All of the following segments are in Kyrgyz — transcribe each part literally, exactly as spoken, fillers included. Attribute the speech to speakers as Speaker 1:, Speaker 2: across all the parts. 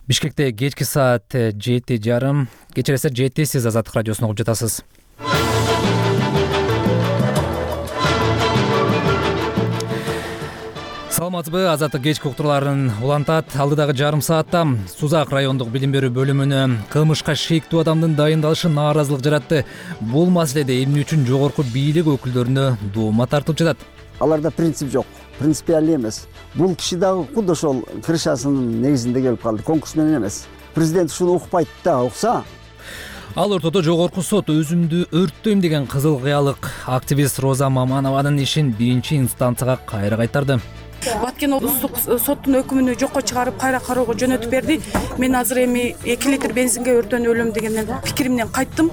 Speaker 1: Бишкекте кечки саат жети жарым, кечиресиз жети, сиз Азаттык радиосун угуп жатасыз. Саламатсызбы? Азаттык кечки уктурууларын улантат. Алдыдагы жарым саатта Сузак райондук билим берүү бөлүмүнө кылмышка шектүү адамдын дайындалышы нааразылык жаратты. Бул маселеде эмне үчүн жогорку бийлик өкүлдөрүнө доома тартылып жатат?
Speaker 2: Аларда принцип жок, принципиалдуу эмес. Бул киши дагы куд ошол крышасынын негизинде келип калды, конкурс менен эмес. Президент ушуну укпайт да, укса.
Speaker 1: Ал ортодо жогорку сот өзүмдү өрттөйм деген кызыл кыялык активист Роза Маманованын ишин биринчи инстанцияга кайра кайтарды.
Speaker 3: Баткен облустук соттун өкүмүнү жокко чыгарып кайра кароого жөнөтүп берди. Мен азыр эми эки литр бензинге өрттөнүп өлөм деген пикиримден кайттым.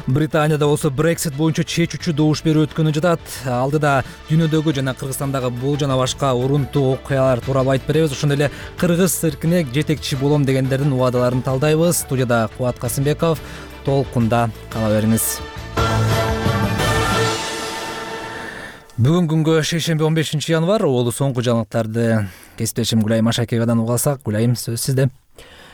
Speaker 1: Британияда болсо Brexit боюнча чечүүчү добуш берүү өткөнү жатат. Алдыда дүйнөдөгү жана Кыргызстандагы бул жана башка урунтуу окуялар тууралуу айтып беребиз. Ошондой эле кыргыз циркине жетекчи болом дегендердин убадаларын талдайбыз. Студияда Кубат Касымбеков, толкунда кала бериңиз. Бүгүн күнгө шейшемби он бешинчи январь олу соңку жаңылыктарды кесиптешим Гүлайым Ашакеевадан угуп алсак. Гүлайым, сөз сизде.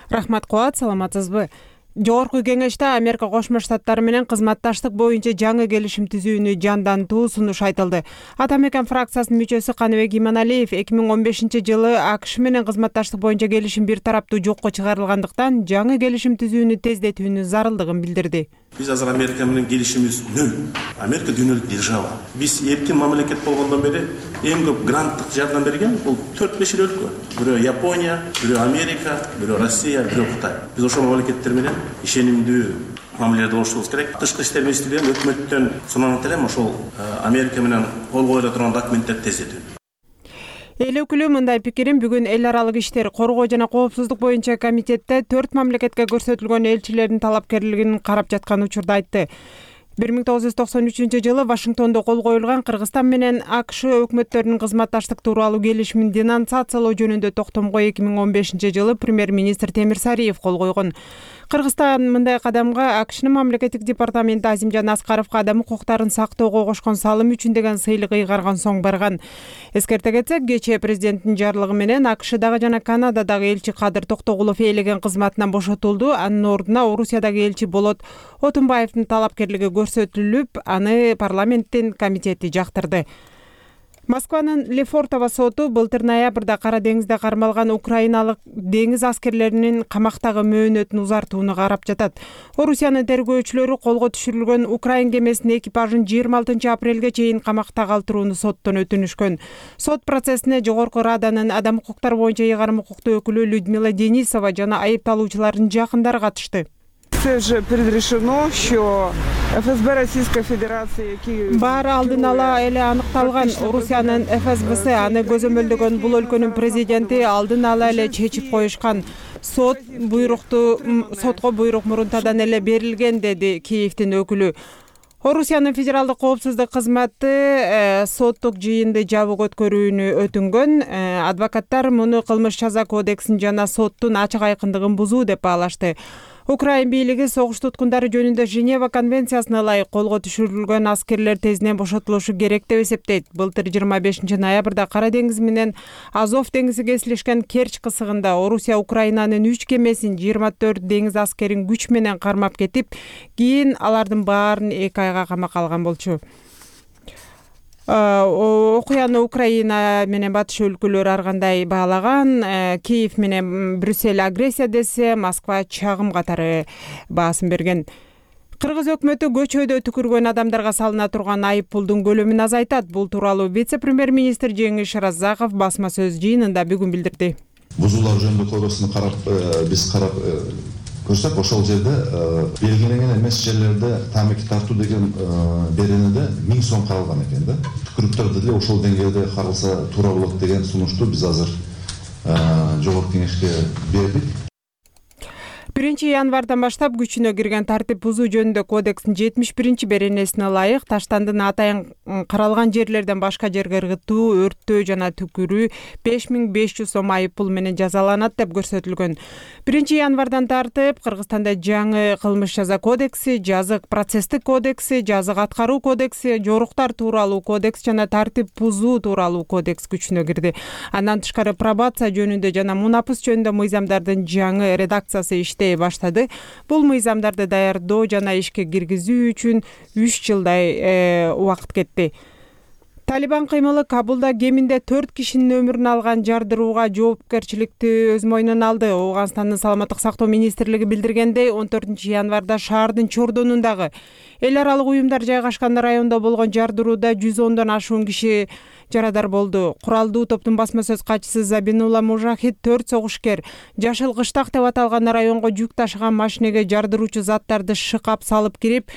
Speaker 4: Рахмат Кубат, саламатсызбы? Жогорку кеңеште Америка Кошмо Штаттары менен кызматташтык боюнча жаңы келишим түзүүнү жандантуу сунуш айтылды. Ата Мекен фракциясынын мүчөсү Каныбек Иманалиев эки миң он бешинчи жылы АКШ менен кызматташтык боюнча келишим бир тараптуу жокко чыгарылгандыктан жаңы келишим түзүүнү тездетүүнүн зарылдыгын билдирди.
Speaker 5: Биз азыр Америка менен келишимибиз нөл. Америка дүйнөлүк держава. Биз эркин мамлекет болгондон бери эң көп гранттык жардам берген бул төрт беш эл өлкө. Бирөө Япония, бирөө Америка, бирөө Россия, бирөө Кытай. Биз ошол мамлекеттер менен ишенимдүү мамиледе болушубуз керек. Тышкы иштер министрлиги өкмөттөн сунанат элем ошол Америка менен кол коюла турган документтерди тездетүү.
Speaker 4: Эл өкүлү мындай пикирин бүгүн эл аралык иштер, коргоо жана коопсуздук боюнча комитетте төрт мамлекетке көрсөтүлгөн элчилердин талапкерлигин карап жаткан учурда айтты. бир миң тогуз жүз токсон үчүнчү жылы Вашингтондо кол коюлган Кыргызстан менен АКШ өкмөттөрүнүн кызматташтык тууралуу келишимин денонсациялоо жөнүндө токтомго эки миң он бешинчи жылы премьер-министр Темир Сариев кол койгон. Кыргызстан мындай кадамга АКШнын мамлекеттик департаменти Азимжан Аскаровго адам укуктарын сактоого кошкон салым үчүн деген сыйлык ыйгарган соң барган. Эскерте кетсек, кечээ президенттин жарлыгы менен АКШдагы жана Канададагы элчи Кадыр Токтогулов ээлеген кызматынан бошотулду. Анын ордуна Орусиядагы элчи Болот Отунбаевдин талапкерлиги көрсөтүлүп, аны парламенттин комитети жактырды. Москванын Лефортово соту былтыр ноябрда Кара деңизде кармалган украиналык деңиз аскерлеринин камактагы мөөнөтүн узартууну карап жатат. Орусиянын тергөөчүлөрү колго түшүрүлгөн украин кемесинин экипажын жыйырма алтынчы апрелге чейин камакта калтырууну соттон өтүнүшкөн. Сот процессине Жогорку Раданын адам укуктары боюнча ыйгарым укуктуу өкүлү Людмила Денисова жана айыпталуучулардын жакындары катышты.
Speaker 6: Це вже предрешено, що ФСБ Російської Федерації, які
Speaker 4: баары алдын ала эле аныкталган. Орусиянын ФСБС аны көзөмөлдөгөн бул өлкөнүн президенти алдын ала эле чечип коюшкан. Сот буйрукту сотко буйрук мурунтадан эле берилген, деди Киевдин өкүлү. Орусиянын федералдык коопсуздук кызматы соттук жыйынды жабык өткөрүүнү өтүнгөн. Адвокаттар муну кылмыш жаза кодексин жана соттун ачык айкындыгын бузуу деп баалашты. Украин бийлиги согуш туткундары жөнүндө Женева конвенциясына ылайык колго түшүрүлгөн аскерлер тезинен бошотулушу керек деп эсептейт. Былтыр жыйырма бешинчи ноябрда Кара деңиз менен Азов деңизи кесилишкен Керчь кысыгында Орусия Украинанын үч кемесин жыйырма төрт деңиз аскерин күч менен кармап кетип, кийин алардын баарын эки айга камакка алган болчу. Окуяны Украина менен батыш өлкөлөрү ар кандай баалаган. Киев менен Брюссель агрессия десе, Москва чагым катары баасын берген. Кыргыз өкмөтү көчөдө түкүргөн адамдарга салына турган айып пулдун көлөмүн азайтат. Бул тууралуу вице-премьер-министр Жеңиш Разаков басма сөз жыйынында бүгүн билдирди.
Speaker 7: Бузуулар жөнүндө кодексин карап, биз карап көрсөк, ошол жерде белгиленген эмес жерлерде тамеки тартуу деген беренеде миң сом каралган экен да. Түкүрүктөрдү деле ошол деңгээлде каралса туура болот деген сунушту биз азыр жогорку кеңешке бердик.
Speaker 4: биринчи январдан баштап күчүнө кирген тартип бузуу жөнүндө кодекстин жетимиш биринчи беренесине ылайык таштандын атайын каралган жерлерден башка жерге ыргытуу, өрттөө жана түкүрүү беш миң беш жүз сом айып пул менен жазаланат деп көрсөтүлгөн. биринчи январдан тартып Кыргызстанда жаңы кылмыш жаза кодекси, жазык процесстик кодекси, жазык аткаруу кодекси, жоруктар тууралуу кодекс жана тартип бузуу тууралуу кодекс күчүнө кирди. Андан тышкары пробация жөнүндө жана мунапыс жөнүндө мыйзамдардын жаңы редакциясы иштей баштады. Бул мыйзамдарды даярдоо жана ишке киргизүү үчүн үч жылдай убакыт кетти. Талибан кыймылы Кабулда кеминде төрт кишинин өмүрүн алган жардырууга жоопкерчиликти өз мойнуна алды. Ооганстандын саламаттык сактоо министрлиги билдиргендей, он төртүнчү январда шаардын чордонундагы эл аралык уюмдар жайгашкан райондо болгон жардырууда жүз ондон ашуун киши жарадар болду. Куралдуу топтун басма сөз катчысы Забинулла Мужахид төрт согушкер Жашыл кыштак деп аталган районго жүк ташыган машинеге жардыруучу заттарды шыкап салып кирип,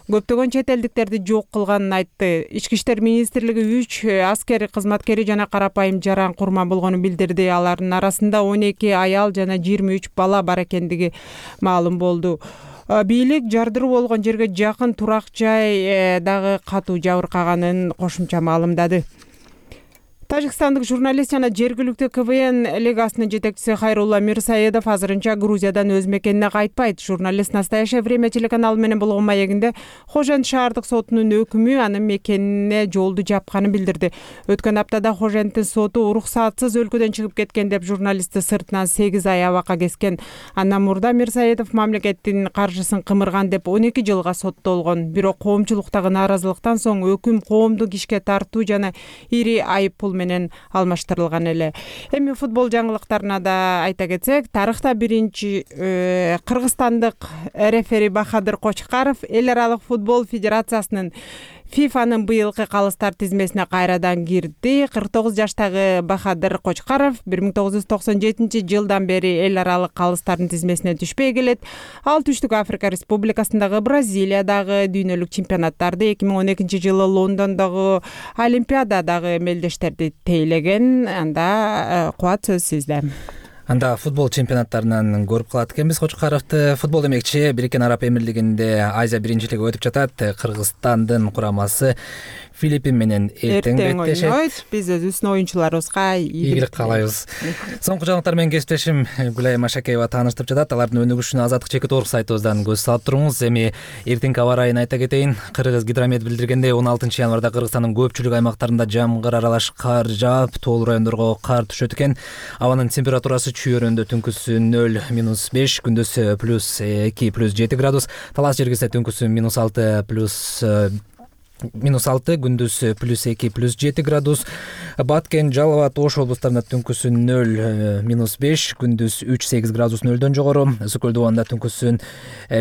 Speaker 4: көптөгөн чет элдиктерди жок кылганын айтты. Ички иштер министрлиги үч аскер кызматкери жана карапайым жаран курман болгонун билдирди. Алардын арасында он эки аял жана жыйырма үч бала бар экендиги маалым болду. Бийлик жардыруу болгон жерге жакын турак жай дагы катуу жабыркаганын кошумча маалымдады. Тажикстандык журналист жана жергиликтүү КВН лигасынын жетекчиси Хайрулла Мирсаедов азырынча Грузиядан өз мекенине кайтпайт. Журналист «Настоящее время» телеканалы менен болгон маегинде Хожент шаардык сотунун өкүмү анын мекенине жолду жапканын билдирди. Өткөн аптада Хоженттин соту уруксатсыз өлкөдөн чыгып кеткен деп журналистти сыртынан сегиз ай абакка кескен. Андан мурда Мирсаедов мамлекеттин каржысын кымырган деп он эки жылга соттолгон. Бирок коомчулуктагы нааразылыктан соң өкүм коомдук ишке тартуу жана ири айып пул менен алмаштырылган эле. Эми футбол жаңылыктарына да айта кетсек, тарыхта биринчи кыргызстандык рефери Бахадыр Кочкаров эл аралык футбол федерациясынын ФИФАнын быйылкы калыстар тизмесине кайрадан кирди. кырк тогуз жаштагы Бахадыр Кочкаров бир миң тогуз жүз токсон жетинчи жылдан бери эл аралык калыстардын тизмесине түшпөй келет. Ал Түштүк Африка Республикасындагы, Бразилиядагы дүйнөлүк чемпионаттарды, эки миң он экинчи жылы Лондондогу Олимпиададагы мелдештерди тейлеген. Анда кубат сөз сизде.
Speaker 1: Анда футбол чемпионаттарынан көрүп калат экенбиз Кочкаровду. Футбол демекчи Бириккен Араб Эмирлигинде Азия биринчилиги өтүп жатат. Кыргызстандын курамасы Филиппин менен эртең беттешет.
Speaker 4: Биз өзүбүздүн оюнчуларыбызга
Speaker 1: ийгилик каалайбыз. Соңку жаңылыктар менен кесиптешим Гүлай Машакеева тааныштырып жатат. Алардын өнүгүшүнө Азаттык чекит орг сайтыбыздан көз салып туруңуз. Эми эртеңки аба ырайын айта кетейин. Кыргыз гидромет билдиргендей, он алтынчы январда Кыргызстандын көпчүлүк аймактарында жамгыр аралаш кар жаап, тоолуу райондорго кар түшөт экен. Абанын температурасы чүйөрөндө түнкүсү нөл минус беш, күндүзү плюс эки плюс жети градус, Талас жергисе түнкүсү минус алты плюс минус алты, күндүз плюс эки плюс жети градус. Баткен, Жалал абад, Ош облустарында түнкүсү нөл минус беш, күндүз үч сегиз градус нөлдөн жогору. Үсүкөл Дубанда түнкүсү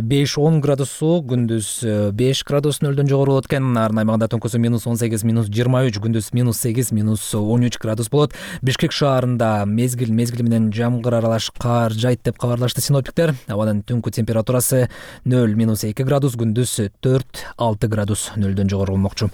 Speaker 1: беш он градус суук, күндүз беш градус нөлдөн жогору болот экен. Нарын аймагында түнкүсү минус он сегиз минус жыйырма үч, күндүз минус сегиз минус он үч градус болот. Бишкек шаарында мезгил мезгили менен жамгыр аралаш кар жайт деп кабарлашты синоптиктер. Абанын түнкү температурасы нөл минус эки градус, күндүз төрт алты градус нөлдөн жогору болмокчу.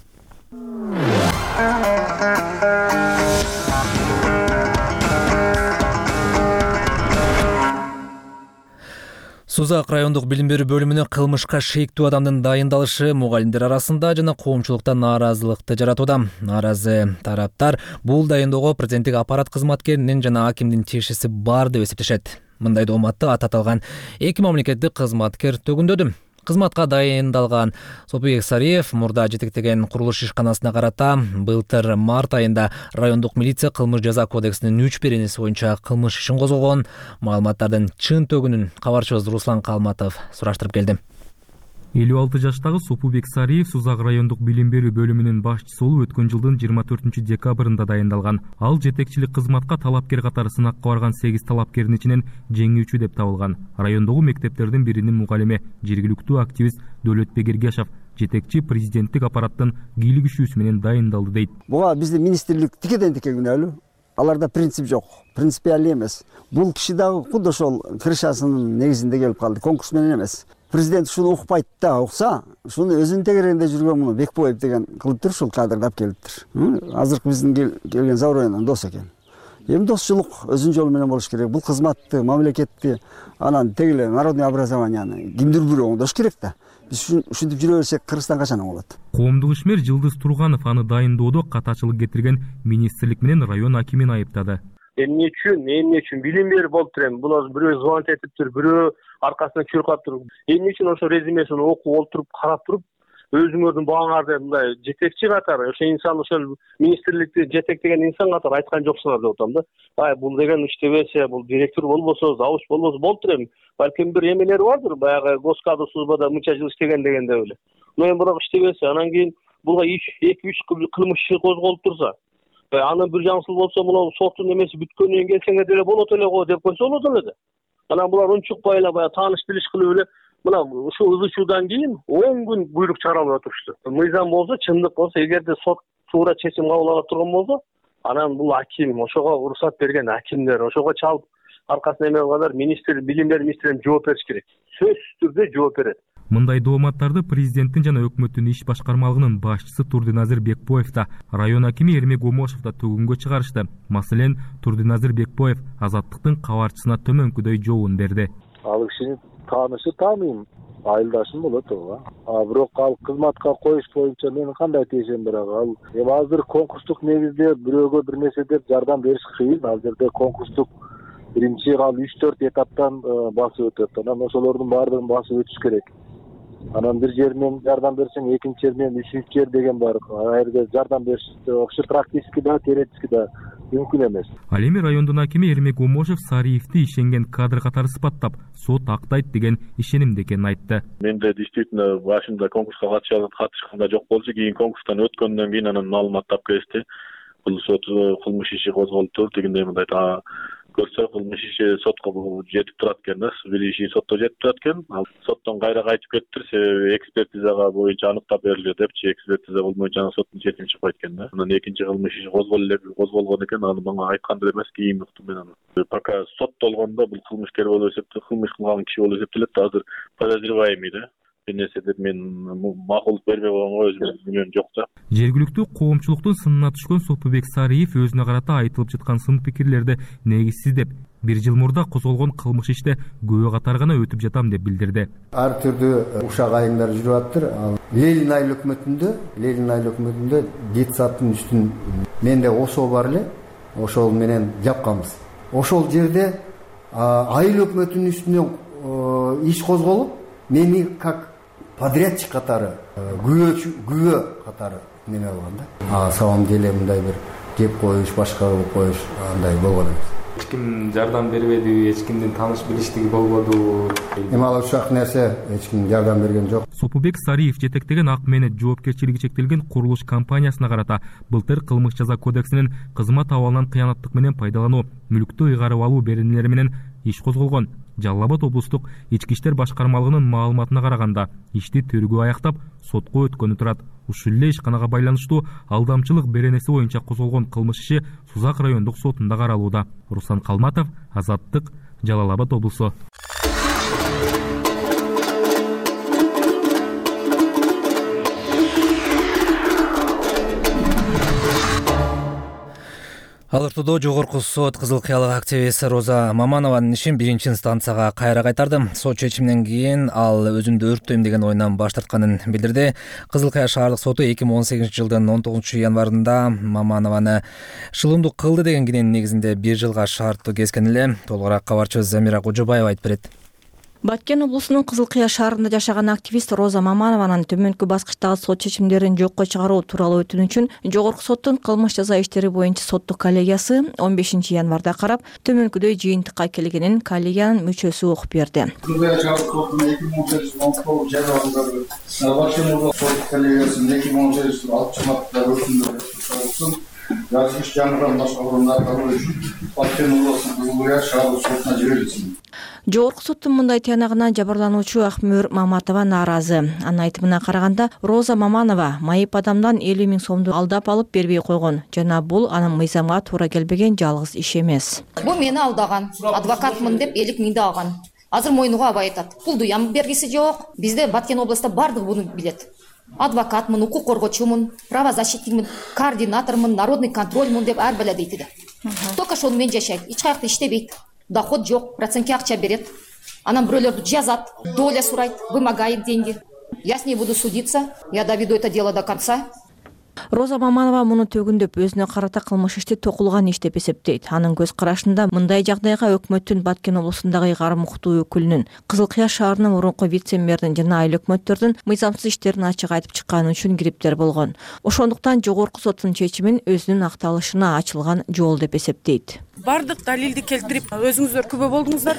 Speaker 1: Сузак райондук билим берүү бөлүмүнө кылмышка шейктүү адамдын дайындалышы мугалимдер арасында жана коомчулукта нааразылыкты жаратууда. Нааразы тараптар бул дайындоого президенттик аппарат кызматкеринин жана акимдин тиешеси бар деп эсептешет. Мындай дооматты ат аталган эки мамлекеттик кызматкер төгүндөдү. Кызматка дайындалган Сопуек Сариев мурда жетектеген курулуш ишканасына карата былтыр март айында райондук милиция кылмыш жаза кодексинин үч беренеси боюнча кылмыш ишин козгогон. Маалыматтардын чын төгүнүн кабарчыбыз Руслан Калматов сураштырып келди.
Speaker 8: элүү алты жаштагы Сопубек Сариев Сузак райондук билим берүү бөлүмүнүн башчысы болуп өткөн жылдын жыйырма төртүнчү декабрында дайындалган. Ал жетекчилик кызматка талапкер катары сынакка барган сегиз талапкердин ичинен жеңүүчү деп табылган. Райондогу мектептердин биринин мугалими, жергиликтүү активист Дөлөтбек Эргешов жетекчи президенттик аппараттын кийлигишүүсү менен дайындалды дейт.
Speaker 2: Буга биздин министрлик тикеден тике күнөөлүү. Аларда принцип жок, принципиалдуу эмес. Бул киши дагы куд ошол крышасынын негизинде келип калды, конкурс менен эмес. Президент шуну укпайт да, укса, шуну өзүнүн тегерегинде жүргөн муну Бекбоев деген кылыптыр, ушул кадрды алып келиптир. Азыркы биздин келген Завроянын дос экен. эми досчулук өзүнүн жолу менен болуш керек. Бул кызматты, мамлекетти, анан теги эле народный образованияны кимдир бирөө оңдош керек да. Биз ушинтип жүрө берсек Кыргызстан качан оңолот?
Speaker 8: Коомдук ишмер Жылдыз Турганов аны дайындоодо катачылык кетирген министрлик менен район акимин айыптады.
Speaker 9: Эмне үчүн, эмне үчүн билим берип болуптур эми. Булар бирөө звонок этиптир, бирөө аркасынан чуркап туруп, эмне үчүн ошо резюмесин окуп олтуруп, карап туруп, өзүңөрдүн багаңарды мындай жетекчи катары, ошо инсан ошол министрликти жетектеген инсан катары айткан жоксуңар деп атам да. Ай, бул деген иштебесе, бул директор болбосо, завуч болбосо болуптур эми. Балким бир эмелери бардыр, баягы Госкадр службада мынча жыл иштеген дегенде эле. Но эми бирок иштебесе, анан кийин буга эки үч кылмыш иши козголуп турса, анын бир жаңсыл болсо, мына соттун эмеси бүткөндөн кийин келсеңер деле болот эле го деп койсо болот эле да. Анан булар унчукпай эле баягы тааныш билиш кылып эле мына ушул ызычуудан кийин он күн буйрук чыгаралып отурушту. Мыйзам болсо, чындык болсо, эгерде сот туура чечим кабыл ала турган болсо, анан бул аким, ошого уруксат берген акимдер, ошого чалып аркасына эме кылгандар министр, билим берүү министринен жооп бериш керек. Сөзсүз түрдө жооп берет.
Speaker 8: Мындай дооматтарды президенттин жана өкмөттүн иш башкармалыгынын башчысы Турдиназир Бекбоев да, район акими Эрмек Омошов да төгүнгө чыгарышты. Маселен, Турдиназир Бекбоев Азаттыктын кабарчысына төмөнкүдөй жообун берди.
Speaker 10: Ал кишини таанышы таанıyım, айылдашым болот ого. А бирок ал кызматка коюш боюнча менин кандай тиешем бар ал. Эми азыр конкурстук негизде бирөөгө бир нерсе деп жардам бериш кыйын. Ал жерде конкурстук биринчи ал үч төрт этаптан басып өтөт. Анан ошолордун баардыгын басып өтүш керек. Анан бир жеринен жардам берсең, экинчи жеринен үчүнчү жер деген бар. А жерде жардам бериш ошо практически да, теоретически да мүмкүн эмес.
Speaker 8: Ал эми райондун акими Эрмек Омошов Сариевди ишенген кадр катары сыпаттап, сот актайт деген ишенимде экенин айтты.
Speaker 11: Менде действительно башында конкурска катышканда жок болчу, кийин конкурстан өткөндөн кийин анан маалымат тап келишти. Бул сот кылмыш иши козголуптур дегендей мындай көрсө кылмыш иши сотко жетип турат экен да, бир иши сотто жетип турат экен. Ал соттон кайра кайтып кетиптир, себеби экспертизага боюнча аныктап берилет депчи, экспертиза болбойнча анан соттун четими чыгып кайт экен да. Анан экинчи кылмыш иши козголуп эле козголгон экен, аны мага айткандар эмес, кийин уктум мен аны. Пока соттолгондо бул кылмышкер болуп эсептелет, кылмыш кылган киши болуп эсептелет, азыр подозреваемый да. Нерсе деп мен макулдук бербей койгонго өзүм билем жок да.
Speaker 8: Жергиликтүү коомчулуктун сынына түшкөн Сопубек Сариев өзүнө карата айтылып жаткан сын пикирлерди негизсиз деп, бир жыл мурда козголгон кылмыш иште күбө катары гана өтүп жатам деп билдирди.
Speaker 12: Ар түрдүү ушак айымдар жүрүп аптыр. Ленин айыл өкмөтүндө, Ленин айыл өкмөтүндө детсадтын үстүн менде ошол бар эле, ошол менен жапканбыз. Ошол жерде айыл өкмөтүнүн үстүнөн иш козголуп, мени как подрядчик катары, күбө күбө катары неме болгон да. А самом деле мындай бир кеп коюш, башка кылып коюш андай болгон эмес.
Speaker 13: Эч ким жардам бербеди, эч кимдин тааныш билиштиги болбоду.
Speaker 12: Эми ал ушак нерсе эч ким жардам берген жок.
Speaker 8: Сопубек Сариев жетектеген ак менет жоопкерчилиги чектелген курулуш компаниясына карата былтыр кылмыш жаза кодексинин кызмат абалынан кыянаттык менен пайдалануу, мүлктү ыйгарып алуу беренелери менен иш козголгон. Жалал Абад облустук ички иштер башкармалыгынын маалыматына караганда, ишти тергөө аяктап, сотко өткөнү турат. Ушул эле ишканага байланыштуу алдамчылык беренеси боюнча козголгон кылмыш иши Сузак райондук сотунда каралууда. Руслан Калматов, Азаттык, Жалал Абад облусу.
Speaker 1: Ал ортодо жогорку сот Кызыл Кыялык активисти Роза Маманованын ишин биринчи инстанцияга кайра кайтарды. Сот чечиминен кийин ал өзүмдү өрттөйм деген оюнан баш тартканын билдирди. Кызыл Кыя шаардык соту эки миң он сегизинчи жылдын он тогузунчу январында Маманованы шылымдуу кылды деген киненин негизинде бир жылга шарттуу kesкен эле. Толугураак кабарчыбыз Замира Кожобаева айтып берет.
Speaker 14: Баткен облусунун Кызыл Кыя шаарында жашаган активист Роза Маманованын төмөнкү баскычтагы сот чечимдерин жокко чыгаруу тууралуу өтүнүчүн жогорку соттун кылмыш жаза иштери боюнча соттук коллегиясы он бешинчи январда карап, төмөнкүдөй жыйынтыкка келгенин коллегиянын мүчөсү окуп берди.
Speaker 15: Yazgıç janrdan başka orunlarda üçün Баткен облусунун Кызыл Кыя шаардык сотуна жиберилсин.
Speaker 14: Жогорку соттун мындай тыянагына жабырлануучу Акмөр Маматова нааразы. Анын айтымына караганда, Роза Маманова майып адамдан элүү миң сомду алдап алып бербей койгон жана бул анын мыйзамга туура келбеген жалгыз иш эмес.
Speaker 16: Бул мени алдаган, адвокатмын деп элүү миңди алган. Азыр мойнуга абай айтат. Пулду ям бергиси жок. Бизде Баткен областында бардыгы буну билет. адвокатмын, укук коргоочумун, правозащитникмин, координатормун, народный контрольмун деп ар бала дейт. Только ошону менен жашайт. Эч каякта иштебейт. Доход жок, процентке акча берет. Анан бирөөлөрдү жазат, доля сурайт, вымогает деньги. Я с ней буду судиться, я доведу это дело до конца.
Speaker 14: Роза Маманова муну төгүндөп өзүнө карата кылмыш ишти токулган иш деп эсептейт. Анын көз карашында мындай жагдайга өкмөттүн Баткен облусундагы ыйгарым укуктуу өкүлүнүн, Кызыл Кыя шаарынын мурунку вице-мэринин жана айыл өкмөттөрдүн мыйзамсыз иштерин ачык айтып чыкканы үчүн кириптер болгон. Ошондуктан жогорку соттун чечимин өзүнүн акталышына ачылган жол деп эсептейт.
Speaker 3: Бардык далилди келтирип, өзүңүздөр күбө болдуңуздар.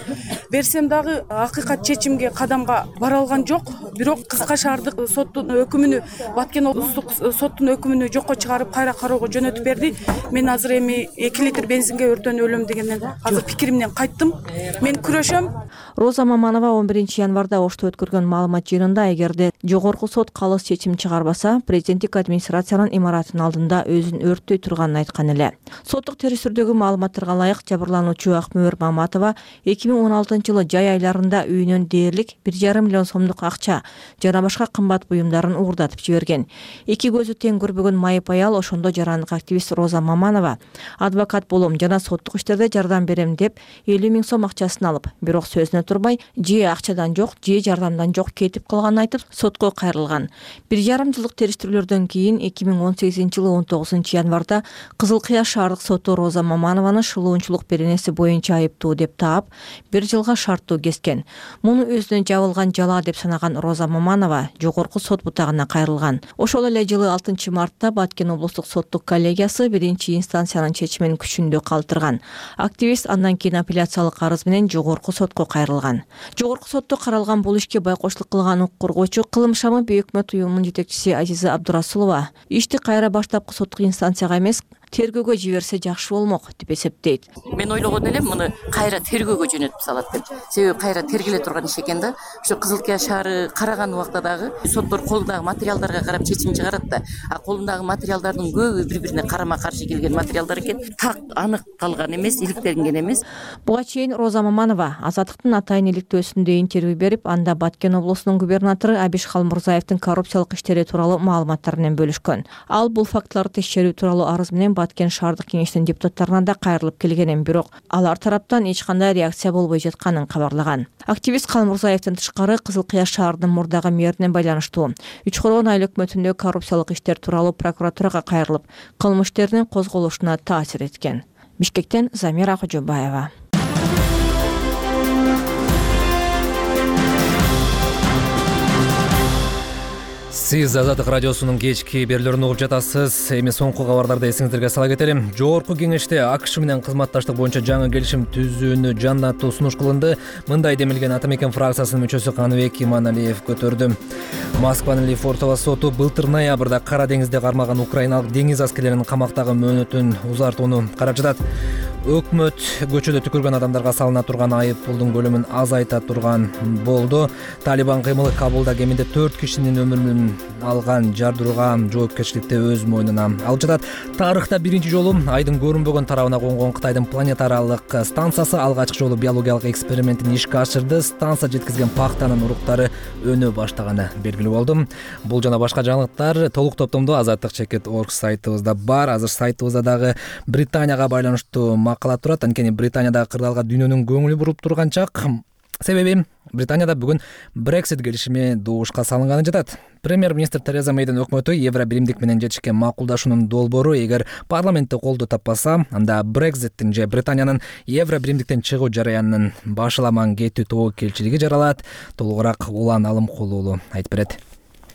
Speaker 3: Берсем дагы акыйкат чечимге кадамга бара алган жок. Бирок Кызыл шаардык соттун өкүмүнү, Баткен облустук соттун өкүмүнү жокко чыгарып, кайра кароого жөнөтүп берди. Мен азыр эми эки литр бензинге өртөнүп өлөм дегенден азыр пикиримден кайттым. Мен күрөшөм.
Speaker 14: Роза Маманова он биринчи январда Ошто өткөргөн маалымат жыйынында эгерде жогорку сот калыс чечим чыгарбаса, президенттик администрациянын имаратынын алдында өзүн өрттөй турганын айткан эле. Соттук терестирдөгү маалыматтарга ылайык жабырлануучу Акмөөр Маматова эки миң он алтынчы жылы жай айларында үйүнөн дээрлик бир жарым миллион сомдук акча жана башка кымбат буюмдарын уурдатып жиберген. Эки көзү тең көрбөгөн майып аял ошондо жарандык активист Роза Маманова адвокат болом жана соттук иштерде жардам берем деп элүү миң сом акчасын алып, бирок сөзүнө турбай же акчадан жок, же жардамдан жок кетип калганын айтып сотко кайрылган. Бир жарым жылдык териштирүүлөрдөн кийин эки миң он сегизинчи жылы он тогузунчу январда Кызыл Кыя шаардык соту Роза Маманованы шылуунчулук беренеси боюнча айыптуу деп таап, бир жылга шарттуу кескен. Муну өзүнө жабылган жала деп санаган Роза Маманова жогорку сот бутагына кайрылган. Ошол эле жылы алтынчы мартта Баткен облустук соттук коллегиясы биринчи инстанциянын чечимин күчүндө калтырган. Активист андан кийин апелляциялык арыз менен жогорку сотко кайрылган. Жогорку сотто каралган бул ишке байкоштук кылган укук коргоочу Кылым шамы бейөкмөт уюмунун жетекчиси Азиза Абдурасулова ишти кайра баштапкы соттук инстанцияга эмес, тергөөгө жиберсе жакшы болмок деп эсептейт.
Speaker 17: Мен ойлогон элем муну кайра тергөөгө жөнөтүп салат деп. Себеби кайра тергеле турган иш экен да. Ошо Кызыл Кыя шаары караган убакта дагы соттор колундагы материалдарга карап чечим чыгарат да. А колундагы материалдардын көбү бири-бирине карама-каршы келген материалдар экен. Так анык калган эмес, иликтенген эмес.
Speaker 14: Буга чейин Роза Маманова Азаттыктын атайын иликтөөсүндө интервью берип, анда Баткен облусунун губернатору Абиш Халмурзаевдин коррупциялык иштери тууралуу маалыматтар менен бөлүшкөн. Ал бул фактыларды текшерүү тууралуу арыз менен Баткен шаардык кеңештин депутаттарына да кайрылып келгенин, бирок алар тараптан эч кандай реакция болбой жатканын кабарлаган. Активист Халмурзаевдин тышкары Кызыл Кыя шаарынын мурдагы мэрине байланыштуу үч коргон айыл өкмөтүндө коррупциялык иштер тууралуу прокуратурага кайрылып, кылмыш иштеринин козголушуна таасир эткен. Бишкектен Замира Кожобаева.
Speaker 1: Сиз Азаттык радиосунун кечки берүүлөрүн угуп жатасыз. Эми соңку кабарларды эсиңиздерге сала кетелим. Жогорку кеңеште АКШ менен кызматташтык боюнча жаңы келишим түзүүнү жандатуу сунуш кылынды. Мындай демилген Атамекен фракциясынын мүчөсү Каныбек Иманалиев көтөрдү. Москванын Лефортово соту былтыр ноябрда Кара деңизде кармаган украиналык деңиз аскерлеринин камактагы мөөнөтүн узартууну карап жатат. Өкмөт көчөдө түкүргөн адамдарга салына турган айып пулдун көлөмүн азайта турган болду. Талибан кыймылы Кабулда кеминде төрт кишинин өмүрүн алган жардырууга жоопкерчиликти өз мойнуна алып жатат. Тарыхта биринчи жолу айдын көрүнбөгөн тарабына конгон Кытайдын планетаралык станциясы алгачкы жолу биологиялык экспериментин ишке ашырды. Станция жеткизген пахтанын уруктары өнө баштаганы белгилүү болду. Бул жана башка жаңылыктар толук топтомдо азаттык чекит точка орг сайтыбызда бар. Азыр сайтыбызда дагы Британияга байланыштуу макала турат. Анткени Британиядагы кырдаалга дүйнөнүн көңүлү буруп турган чак. Себеби Британияда бүгүн Brexit келишими добушка салынганы жатат. Премьер-министр Тереза Мейдин өкмөтү Евро биримдик менен жетишкен макулдашуунун долбоору эгер парламентте колдоо таппаса, анда Brexit'тин же Британиянын Евро биримдиктен чыгуу жараянынын башаламан кетүү тобокелчилиги жаралат. Толугураак Улан Алымкулуулу айтып берет.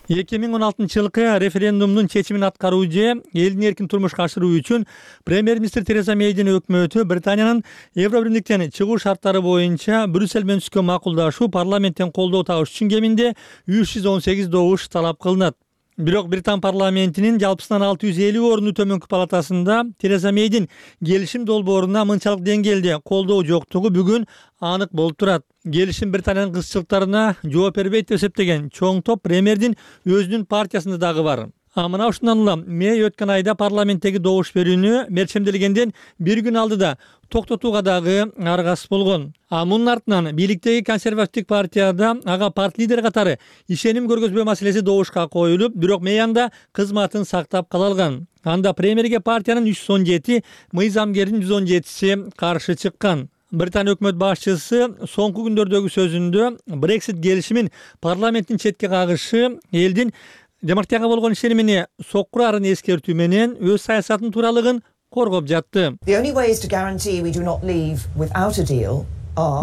Speaker 18: эки миң он алтынчы жылкы референдумдун чечимин аткаруу же элдин эркин турмушка ашыруу үчүн премьер-министр Тереза Мейдин өкмөтү Британиянын Евро биримдиктен чыгуу шарттары боюнча Брюссель менен түзгөн макулдашуу парламенттен колдоо табыш үчүн кеминде үч жүз он сегиз добуш талап кылынат. Бирок Британ парламентинин жалпысынан алты жүз элүү орунду төмөнкү палатасында Тереза Мейдин келишим долбооруна мынчалык деңгээлде колдоо жоктугу бүгүн анык болуп турат. Келишим Британиянын кызчылыктарына жооп бербейт деп эсептеген чоң топ премьердин өзүнүн партиясында дагы бар. А мына ушундан улам Мэй өткөн айда парламенттеги добуш берүүнү мерчемделгенден бир күн алдыда токтотууга дагы аргасыз болгон. А мунун артынан бийликтеги консервативдик партияда ага парт лидери катары ишеним көргөзбөө маселеси добушка коюлуп, бирок Мэй анда кызматын сактап кала алган. Анда премьерге партиянын үч жүз он жети, мыйзамгердин жүз он жетиси каршы чыккан. Британия өкмөт башчысы соңку күндөрдөгү сөзүндө Brexit келишимин парламенттин четке кагышы элдин демократияга болгон ишенимине соккурарын эскертүү менен өз саясатынын тууралыгын коргоп жатты.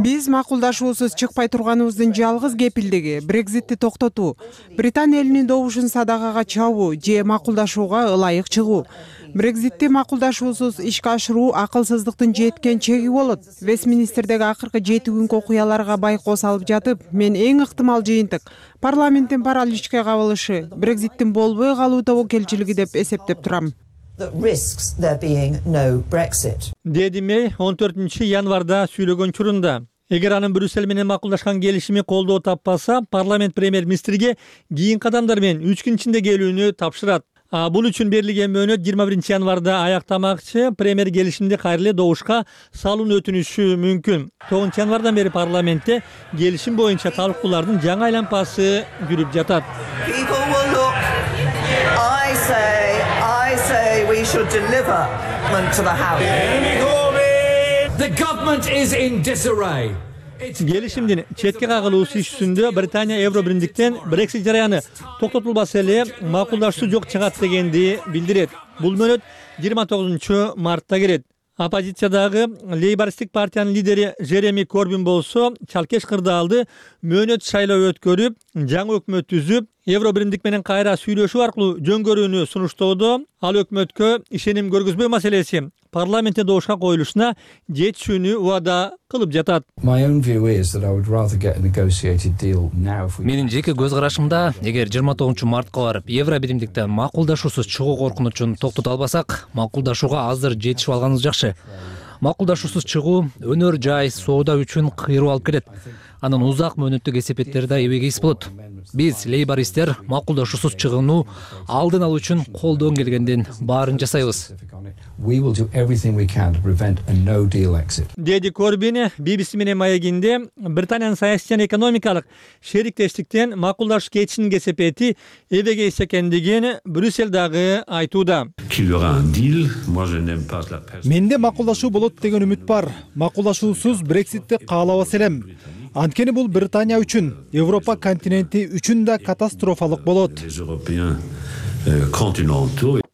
Speaker 4: Биз макулдашуусуз чыкпай турганыбыздын жалгыз кепилдиги Брекзитти токтотуу, Британия элинин добушун садагага чабуу же макулдашууга ылайык чыгуу. Брекзитти макулдашуусуз ишке ашыруу акылсыздыктын жеткен чеги болот. Вестминстердеги акыркы жети күнкү окуяларга байкоо салып жатып, мен эң ыктымал жыйынтык парламенттин параличке кабылышы Брекзиттин болбой калуу тобокелчилиги деп эсептеп турам.
Speaker 18: Деди Мэй он төртүнчү январда сүйлөгөн учурунда. Эгер анын Брюссель менен макулдашкан келишими колдоо таппаса, парламент премьер-министрге кийин кадамдар менен үч күн ичинде келүүнү тапшырат. А бул үчүн берилген мөөнөт жыйырма биринчи январда аяктамакчы, премьер келишимди кайра эле добушка салууну өтүнүшү мүмкүн. тогузунчу январдан бери парламентте келишим боюнча талкуулардын жаңы айланпасы жүрүп жатат. We should deliver to the House. The government is in disarray. Келишимдин четке кагылуусу ишүндө Британия Евро биримдиктен Brexit жараяны токтотулбаса эле макулдашуу жок чыгат дегенди билдирет. Бул мөөнөт жыйырма тогузунчу мартта келет. Оппозициядагы лейбористтик партиянын лидери Жереми Корбин болсо чалкеш кырдаалды мөөнөт шайлоо өткөрүп, жаңы өкмөт түзүп, Евро биримдик менен кайра сүйлөшүү аркылуу жөнгөрүүнү сунуштоодо, ал өкмөткө ишеним көргөзбөө маселеси парламентте добушка коюлушуна жетишүүнү убада кылып жатат.
Speaker 1: Менин жеке көз карашымда, эгер жыйырма тогузунчу мартка барып Евро биримдиктен макулдашуусуз чыгуу коркунучун токтото албасак, макулдашууга азыр жетишип алганыбыз жакшы. Макулдашуусуз чыгуу өнөр жай соода үчүн кыйроо алып келет. Анын узак мөөнөттүк эсепеттери да эбеге эс болот. Биз лейбористтер макулдашуусуз чыгууну алдын алуу үчүн колдон келгенден баарын жасайбыз.
Speaker 18: Деди Корбин би би си менен маегинде Британиянын саясий жана экономикалык шериктештиктен макулдашуу кетишинин кесепети эбеге эс экендигин Брюссель дагы айтууда.
Speaker 19: Менде макулдашуу болот деген үмүт бар. Макулдашуусуз Брекситти каалабас элем. Анткени бул Британия үчүн, Европа континенти үчүн да катастрофалык болот.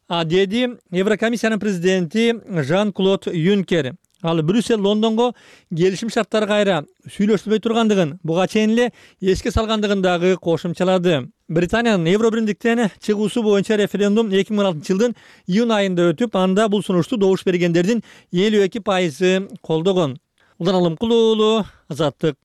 Speaker 18: А деди Еврокомиссиянын президенти Жан-Клод Юнкер. Ал Брюссель Лондонго келишим шарттары кайра сүйлөшүлбөй тургандыгын, буга чейин эле эске салгандыгын дагы кошумчалады. Британиянын Евро биримдиктен чыгуусу боюнча референдум эки миң он алтынчы жылдын июнь айында өтүп, анда бул сунушту добуш бергендердин элүү эки пайызы колдогон. Улан Алымкул уулу, Азаттык.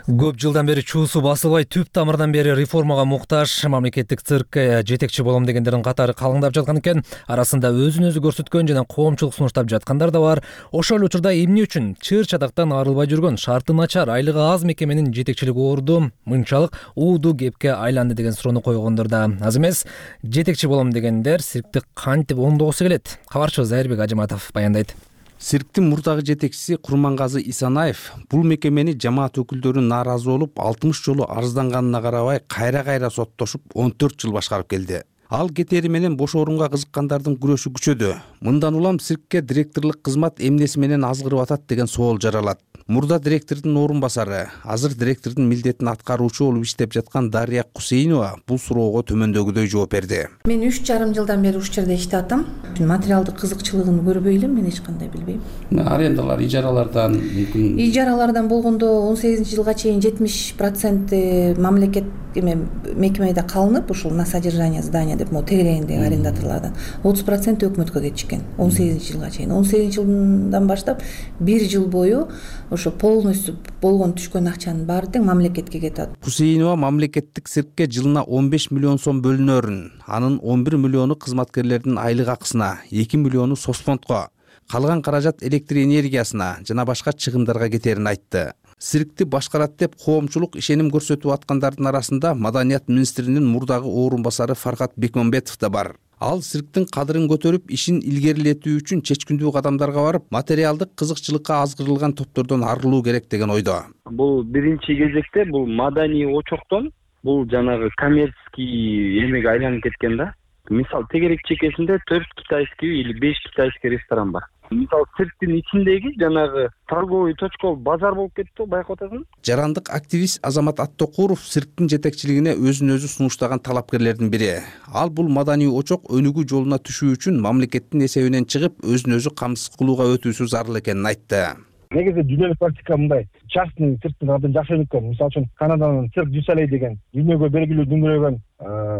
Speaker 1: Көп жылдан бери чуусу басылбай, түп тамырдан бери реформага муктаж мамлекеттик циркке жетекчи болом дегендердин катары калыңдап жаткан экен. Арасында өзүн өзү көрсөткөн жана коомчулук сунуштап жаткандар да бар. Ошол эле учурда эмне үчүн чыр чатактан арылбай жүргөн, шарты начар, айлыгы аз мекеменин жетекчилиги орду мынчалык ууду кепке айланды деген суроону койгондор да аз эмес. Жетекчи болом дегендер циркти кантип оңдогусу келет? Кабарчыбыз Айырбек Ажыматов баяндайт.
Speaker 20: Цирктин мурдагы жетекчиси Курмангазы Исанаев бул мекемени жамаат өкүлдөрү нааразы болуп алтымыш жолу арызданганына карабай кайра-кайра соттошуп он төрт жыл башкарып келди. Ал кетери менен бош орунга кызыккандардын күрөшү күчөдү. Мындан улам циркке директорлук кызмат эмнеси менен азгырып атат деген соол жаралат. Мурда директордун орун басары, азыр директордун милдетин аткаруучу болуп иштеп жаткан Дарья Кусейнова бул суроого төмөндөгүдөй жооп берди.
Speaker 21: Мен үч жарым жылдан бери ушул жерде иштеп атам. Материалдык кызыкчылыгын көрбөй элем, мен эч кандай билбейм.
Speaker 20: Арендалар, ижаралардан мүмкүн.
Speaker 21: Ижаралардан болгондо он сегизинчи жылга чейин жетимиш процент мамлекет эме мекемеде калынып, ушул на содержание здания деп могу тегерегиндеги арендаторлордон отуз процент өкмөткө кетишкен он сегизинчи жылга чейин. он сегизинчи жылдан баштап бир жыл бою ошо полностью болгон түшкөн акчанын баары тең мамлекетке кетет.
Speaker 20: Кусейнова мамлекеттик циркке жылына он беш миллион сом бөлүнөрүн, анын он бир миллиону кызматкерлердин айлык акысына, эки миллиону соцфондко, калган каражат электр энергиясына жана башка чыгымдарга кетерин айтты. Циркти башкарат деп коомчулук ишеним көрсөтүп аткандардын арасында Маданият министринин мурдагы орун басары Фаркат Бекмамбетов да бар. Ал цирктин кадырын көтөрүп, ишин илгерилетүү үчүн чечкиндүү кадамдарга барып, материалдык кызыкчылыкка азгырылган топтордон арылуу керек деген ойдо.
Speaker 5: Бул биринчи кезекте бул маданий очоктон бул жанагы коммерческий эмеге айланып кеткен да. Мисалы тегерек чекесинде төрт китайский или беш китайский ресторан бар. Мисалы цирктин ичиндеги жанагы торговый точка базар болуп кетти, байкап атасың.
Speaker 20: Жарандык активист Азамат Аттокуров цирктин жетекчилигине өзүн өзү сунуштаган талапкерлердин бири. Ал бул маданий очок өнүгүү жолуна түшүү үчүн мамлекеттин эсебинен чыгып, өзүн өзү камсыз кылууга өтүүсү зарыл экенин айтты.
Speaker 22: Негизи дүйнөлүк практика мындай. Частный цирктин абдан жакшы өнүккөн. Мисалы үчүн Канаданын цирк Дюсалей деген дүйнөгө белгилүү дүңгүрөгөн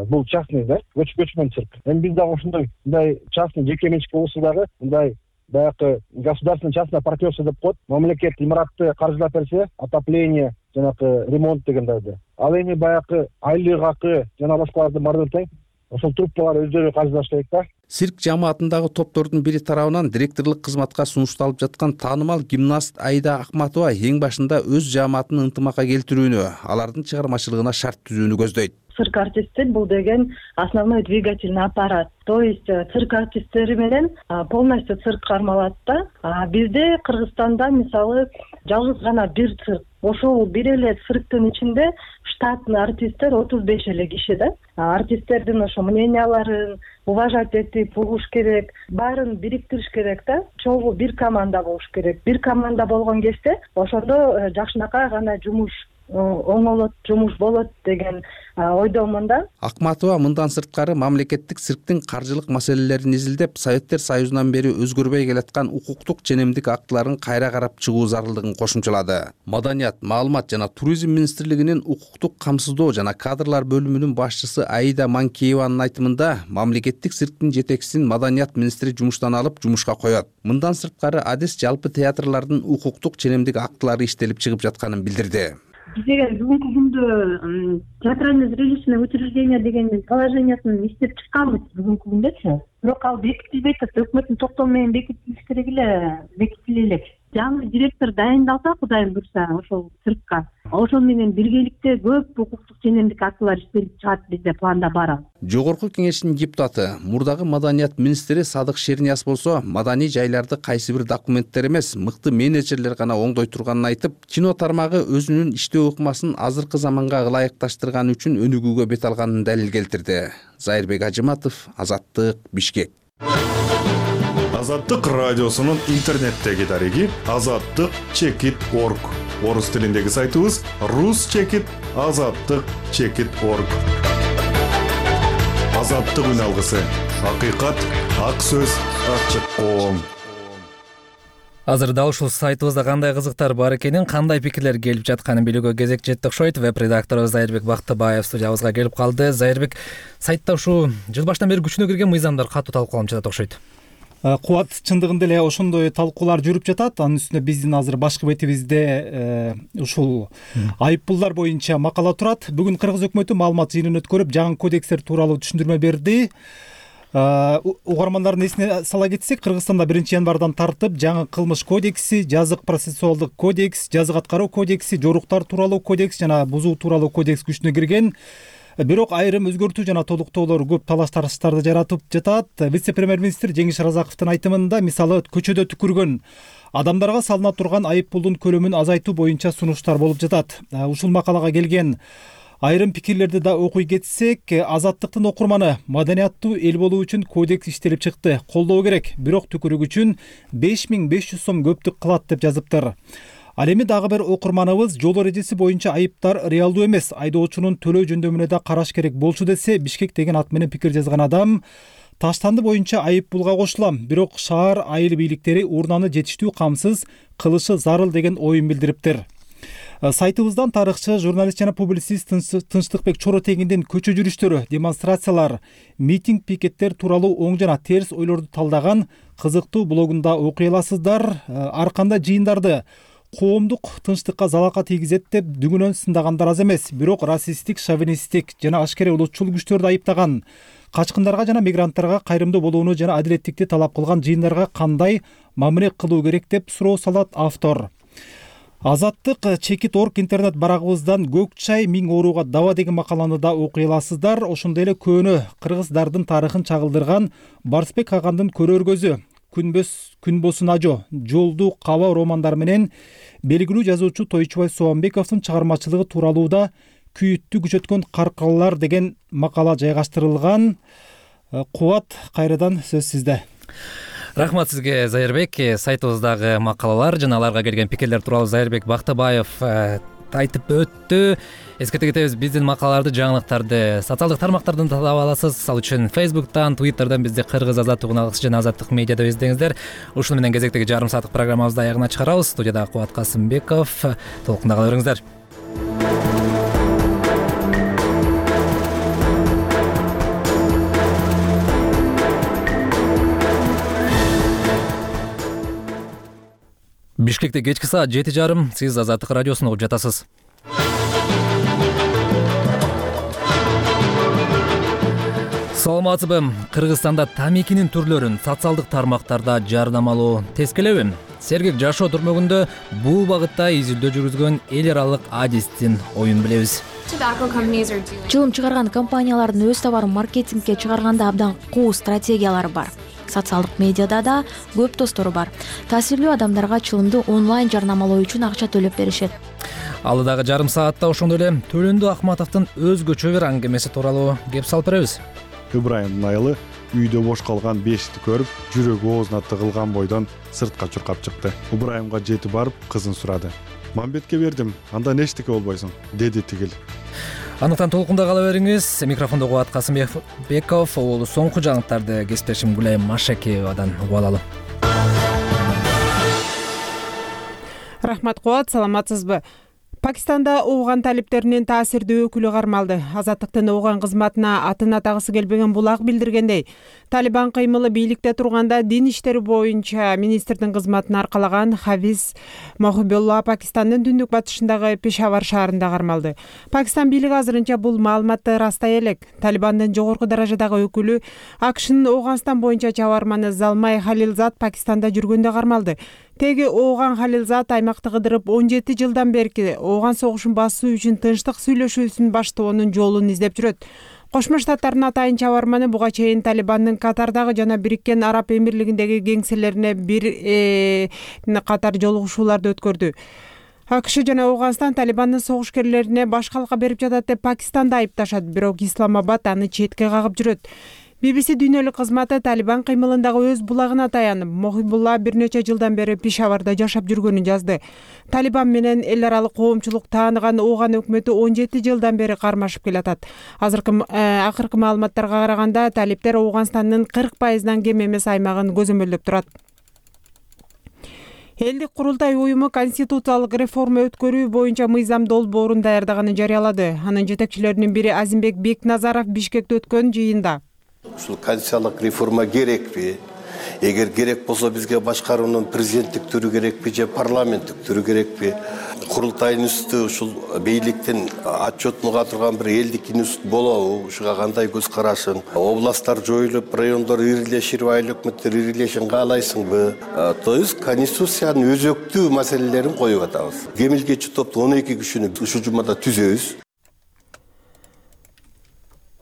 Speaker 22: бул частный да, көчмөн цирк. Эми биз дагы ошондой мындай частный жеке менчик болсо дагы мындай баягы государственный частное партнерство деп коет. Мамлекет имаратты каржылап берсе, отопление, жанагы ремонт дегендерди. Ал эми баягы айлык акы жана башкаларды баарын тең ошол труппалар өздөрү каржылаш керек да.
Speaker 20: Цирк жамаатындагы топтордун бири тарабынан директорлук кызматка сунушталып жаткан таанымал гимнаст Аида Акматова эң башында өз жамаатын ынтымакка келтирүүнү, алардын чыгармачылыгына шарт түзүүнү көздөйт.
Speaker 23: Цирк артисттер бул деген основной двигательный аппарат. То есть цирк артисттери менен полностью цирк кармалат да. Бизде Кыргызстанда мисалы жалгыз гана бир цирк. Ошол бир эле цирктин ичинде штатный артисттер отуз беш эле киши да. Артисттердин ошо мненияларын уважать этип угуш керек, баарын бириктириш керек да. Чогуу бир команда болуш керек. Бир команда болгон кезде ошондо жакшынакай гана жумуш оңолот, жумуш болот деген ойдомун да.
Speaker 20: Акматова мындан сырткары мамлекеттик цирктин каржылык маселелерин изилдеп, Советтер Союзунан бери өзгөрбөй келаткан укуктук женемдик актыларын кайра карап чыгуу зарылдыгын кошумчалады. Маданият, маалымат жана туризм министрлигинин укуктук камсыздоо жана кадрлар бөлүмүнүн башчысы Аида Манкееванын айтымында, мамлекеттик цирктин жетекчисин Маданият министри жумуштан алып, жумушка коет. Мындан сырткары адис жалпы театрлардын укуктук женемдик актылары иштелип чыгып жатканын билдирди.
Speaker 23: Биз деген бүгүнкү күндө театрально-зрелищное учреждение деген положениясын иштеп чыкканбыз бүгүнкү күндөчү. Бирок ал бекитилбейт, өкмөттүн токтому менен бекитилиш керек эле, бекитиле элек. Жаңы директор дайындалса, Кудайым буйрса, ошол циркка, ошол менен биргеликте көп укуктук женемдик актылар иштелип чыгат, бизде планда бар ал.
Speaker 20: Жогорку кеңештин депутаты, мурдагы Маданият министри Садык Шернияз болсо, маданий жайларды кайсы бир документтер эмес, мыкты менеджерлер гана оңдой турганын айтып, кино тармагы өзүнүн иштөө ыкмасын азыркы заманга ылайыкташтырган үчүн өнүгүүгө бет алганын далил келтирди. Зайырбек Ажыматов, Азаттык, Бишкек.
Speaker 24: Азаттык радиосунун интернеттеги дареги азаттык чекит точка орг. Орус тилиндеги сайтыбыз рус чекит азаттык чекит точка орг. Азаттык үн алгысы. Акыйкат, ак сөз, ачык коом.
Speaker 1: Азыр дал ушул сайтыбызда кандай кызыктар бар экенин, кандай пикирлер келип жатканын билүүгө кезек жетти окшойт. Веб-редакторубуз Зайырбек Бактыбаев студиябызга келип калды. Зайырбек, сайтта ушул жыл баштан бери күчүнө кирген мыйзамдар катуу талкууланып жатат окшойт.
Speaker 19: Кубат, чындыгында эле ошондой талкуулар жүрүп жатат. Анын үстүнө биздин азыр башкы бетибизде ушул айыппулдар боюнча макала турат. Бүгүн Кыргыз өкмөтү маалымат жыйынын өткөрүп, жаңы кодекстер тууралуу түшүндүрмө берди. Угармандардын эсине сала кетсек, Кыргызстанда биринчи январдан тартып жаңы кылмыш кодекси, жазык процессуалдык кодекс, жазык аткаруу кодекси, жоруктар тууралуу кодекс жана бузуу тууралуу кодекс күчүнө кирген. Бирок айрым өзгөртүү жана толуктоолор көп талаш тарыштарды жаратып жатат. Вице-премьер-министр Жеңиш Разаковдун айтымында, мисалы, көчөдө түкүргөн адамдарга салына турган айыппулдун көлөмүн азайтуу боюнча сунуштар болуп жатат. Ушул макалага келген айрым пикирлерди да окуй кетсек, Азаттыктын окурманы маданияттуу эл болуу үчүн кодекс иштелип чыкты, колдоо керек, бирок түкүрүк үчүн беш миң беш жүз сом көптүк кылат деп жазыптыр. Ал эми дагы бир окурманыбыз жол эрежеси боюнча айыптар реалдуу эмес, айдоочунун төлөө жөндөмүнө да караш керек болчу десе, Бишкек деген ат менен пикир жазган адам таштанды боюнча айыппулга кошулам, бирок шаар айыл бийликтери урнаны жетиштүү камсыз кылышы зарыл деген оюн билдириптир. Сайтыбыздан тарыхчы, журналист жана публицист Тынчтыкбек Чоротегиндин көчө жүрүштөрү, демонстрациялар, митинг, пикеттер тууралуу оң жана терс ойлорду талдаган кызыктуу блогунда окуй аласыздар. Ар кандай жыйындарды коомдук тынчтыкка залака тийгизет деп дүгүнөн сындагандар аз эмес, бирок расисттик, шовинисттик жана ашкере улутчул күчтөрдү айыптаган качкындарга жана мигранттарга кайрымдуу болууну жана адилеттикти талап кылган жыйындарга кандай мамиле кылуу керек деп суроо салат автор. Азаттык чекит орг интернет барагыбыздан көк чай миң ооруга даба деген макаланы да окуй аласыздар. Ошондой эле көөнө кыргыздардын тарыхын чагылдырган Барсбек Агандын көрөр көзү, Күнбөс Күнбосун ажо, Жолду Каба романдары менен белгилүү жазуучу Тойчубай Соомбековдун чыгармачылыгы тууралуу да Күйүттү күчөткөн каркалар деген макала жайгаштырылган. Кубат, кайрадан сөз сизде.
Speaker 1: Рахмат сизге, Зайырбек. Сайтыбыздагы макалалар жана аларга келген пикирлер тууралуу Зайырбек Бактыбаев айтып өттү. Эскерте кетебиз, биздин макалаларды, жаңылыктарды социалдык тармактардан таап аласыз. Ал үчүн Facebook'тан, Twitter'дан бизди Кыргыз Азаттык унаалыкчы жана Азаттык медиада издеңиздер. Ушуну менен кезектеги жарым сааттык программабызды аягына чыгарабыз. Студияда Кубат Касымбеков. Толкунда кала бериңиздер. Бишкекте кечки саат жети жарым, сиз Азаттык радиосун угуп жатасыз. Саламатсызбы? Кыргызстанда тамекинин түрлөрүн социалдык тармактарда жарнамалоо тескелеби? Сергек жашоо түрмөгүндө бул багытта изилдөө жүргүзгөн эл аралык адистин оюн билебиз.
Speaker 2: Чылым чыгарган компаниялардын өз товарын маркетингке чыгарганда абдан куу стратегиялары бар. Социалдык медиада да көп достору бар. Таасирлүү адамдарга чылымды онлайн жарнамалоо үчүн акча төлөп беришет.
Speaker 1: Алдыдагы жарым саатта ошондой эле Төлөндү Акматовдун өзгөчө бир аңгемеси тууралуу кеп салып беребиз.
Speaker 24: Ыбрайымдын айылы үйдө бош калган бешикти көрүп, жүрөгү оозуна тыгылган бойдон сыртка чуркап чыкты. Ыбрайымга жетип барып кызын сурады. Мамбетке бердим, андан эчтеке болбойсуң, деди тигил.
Speaker 1: Андыктан толкунда кала бериңиз. Микрофондо Кубат Касымбеков, ол соңку жаңылыктарды кесиптешим Гүлайым Машакеевадан угуп алалы.
Speaker 4: Рахмат Кубат, саламатсызбы? Пакистанда ооган талиптеринин таасирдүү өкүлү кармалды. Азаттыктын ооган кызматына атын атагысы келбеген булак билдиргендей, Талибан кыймылы бийликте турганда дин иштери боюнча министрдин кызматын аркалаган Хафиз Мохибулла Пакистандын түндүк батышындагы Пешавар шаарында кармалды. Пакистан бийлиги азырынча бул маалыматты растай элек. Талибандын жогорку даражадагы өкүлү АКШнын Ооганстан боюнча чабарманы Залмай Халилзад Пакистанда жүргөндө кармалды. Теги ооган Халилзад аймакты кыдырып он жети жылдан берки ооган согушун басуу үчүн тынчтык сүйлөшүүсүн баштоонун жолун издеп жүрөт. Кошмо Штаттардын атайын чабарманы буга чейин Талибандын Катардагы жана Бириккен Араб Эмирлигиндеги кеңселерине бир катар жолугушууларды өткөрдү. АКШ жана Ооганстан Талибандын согушкерлерине баш калка берип жатат деп Пакистанды айыпташат, бирок Исламабад аны четке кагып жүрөт. би би си дүйнөлүк кызматы Талибан кыймылындагы өз булагына таянып, Мохибулла бир нече жылдан бери Пешаварда жашап жүргөнүн жазды. Талибан менен эл аралык коомчулук тааныган ооган өкмөтү он жети жылдан бери кармашып келатат. Азыркы акыркы маалыматтарга караганда талиптер Ооганстандын кырк пайыздан кем эмес аймагын көзөмөлдөп турат. Элдик курултай уюму конституциялык реформа өткөрүү боюнча мыйзам долбоорун даярдаганын жарыялады. Анын жетекчилеринин бири Азимбек Бекназаров Бишкекте өткөн жыйында
Speaker 6: ушул конституциялык реформа керекпи? Эгер керек болсо бизге башкаруунун президенттик түрү керекпи же парламенттик түрү керекпи? Курултайдын үстү ушул бийликтин отчетун уга турган бир элдик институт болобу? Ушуга кандай көз карашың? Областтар жоюлуп, райондор ирилешип, айыл өкмөттөр ирилешин каалайсыңбы? То есть конституциянын өзөктүү маселелерин коюп атабыз. Кемилгечи топту он эки кишини ушул жумада түзөбүз.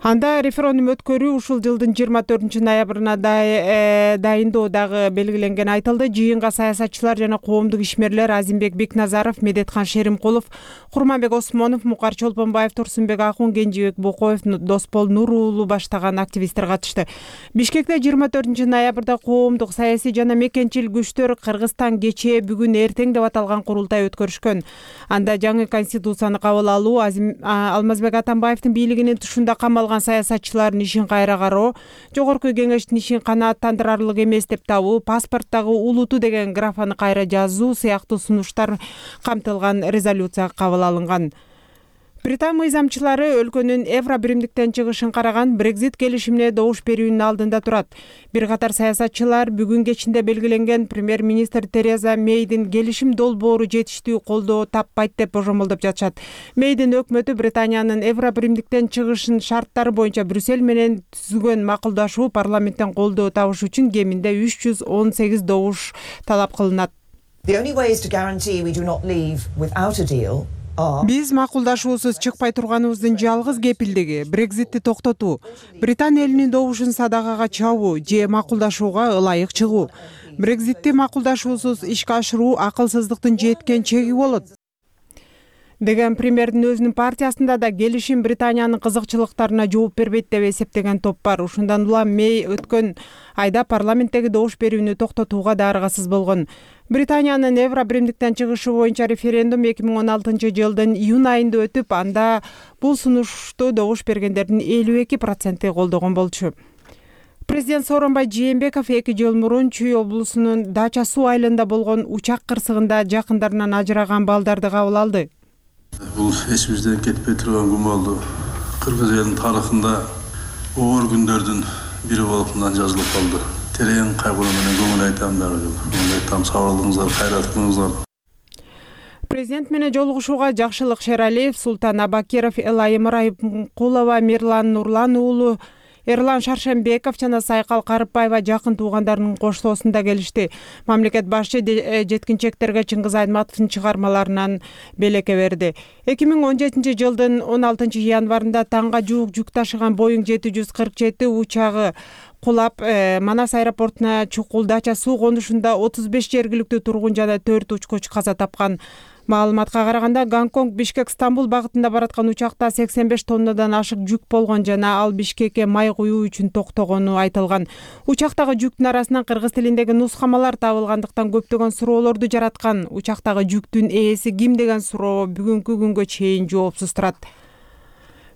Speaker 4: Анда референдум өткөрүү ушул жылдын жыйырма төртүнчү ноябрына дайындоо дагы белгиленгени айтылды. Жыйынга саясатчылар жана коомдук ишмерлер Азимбек Бекназаров, Медеткан Шеримкулов, Курманбек Осмонов, Мукар Чолпонбаев, Турсунбек Акун, Кенжебек Бокоев, Доспол Нур уулу баштаган активисттер катышты. Бишкекте жыйырма төртүнчү ноябрда коомдук, саясий жана мекенчил күчтөр Кыргызстан кечээ бүгүн эртең деп аталган курултай өткөрүшкөн. Анда жаңы конституцияны кабыл алуу, Алмазбек Атамбаевдин бийлигинин тушунда камалган саясатчылардын ишин кайра кароо, жогорку кеңештин ишин канааттандырарлык эмес деп табуу, паспорттагы улуту деген графаны кайра жазуу сыяктуу сунуштар камтылган резолюция кабыл алынган. Британ мыйзамчылары өлкөнүн евро биримдиктен чыгышын караган Brexit келишимине добуш берүүнүн алдында турат. Бир катар саясатчылар бүгүн кечинде белгиленген премьер-министр Тереза Мейдин келишим долбоору жетиштүү колдоо таппайт деп божомолдоп жатышат. Мейдин өкмөтү Британиянын евро биримдиктен чыгышын шарттары боюнча Брюссель менен түзүлгөн макулдашуу парламенттен колдоо табыш үчүн кеминде үч жүз он сегиз добуш талап кылынат. Биз макулдашуусуз чыкпай турганыбыздын жалгыз кепилдиги Брекзитти токтотуу, Британ элинин добушун садакага чабуу же макулдашууга ылайык чыгуу. Брекзитти макулдашуусуз ишке ашыруу акылсыздыктын жеткен чеги болот деген премьердин өзүнүн партиясында да келишим Британиянын кызыкчылыктарына жооп бербейт деп эсептеген топ бар. Ушундан улам Мей өткөн айда парламенттеги добуш берүүнү токтотууга да аргасыз болгон. Британиянын евро биримдиктен чыгышы боюнча референдум эки миң он алтынчы жылдын июнь айында өтүп, анда бул сунушту добуш бергендердин элүү эки проценти колдогон болчу. Президент Сооронбай Жээнбеков эки жыл мурун Чүй облусунун Дача суу айылында болгон учак кырсыгында жакындарынан ажыраган балдарды кабыл алды.
Speaker 7: Бул эсибизден кетпей турган күмөлдүү кыргыз элинин тарыхында оор күндөрдүн бири болуп мындан жазылып калды. Терең кайгуу менен көңүл айтам дагы. Айтам, сау болуңуздар, кайрат кылыңыздар.
Speaker 4: Президент менен жолугушууга Жакшылык Шералиев, Султан Абакиров, Элайым Райымкулова, Мирлан Нурлан уулу, Эрлан Шаршембеков жана Сайкал Карыпбаева жакын туугандарынын коштоосунда келишти. Мамлекет башчы жеткинчектерге Чыңгыз Айтматовдун чыгармаларынан белекке берди. эки миң он жетинчи жылдын он алтынчы январында таңга жуук жүк ташыган Боeing жети жүз кырк жети учагы кулап, Манас аэропортуна чукул Дача суу конушунда отуз беш жергиликтүү тургун жана төрт учкуч каза тапкан. Маалыматка караганда, Гонконг Бишкек Стамбул багытында бараткан учакта сексен беш тоннадан ашык жүк болгон жана ал Бишкекке май куюу үчүн токтогону айтылган. Учактагы жүктүн арасынан кыргыз тилиндеги нускамалар табылгандыктан көптөгөн суроолорду жараткан. Учактагы жүктүн ээси ким деген суроо бүгүнкү күнгө чейин жоопсуз турат.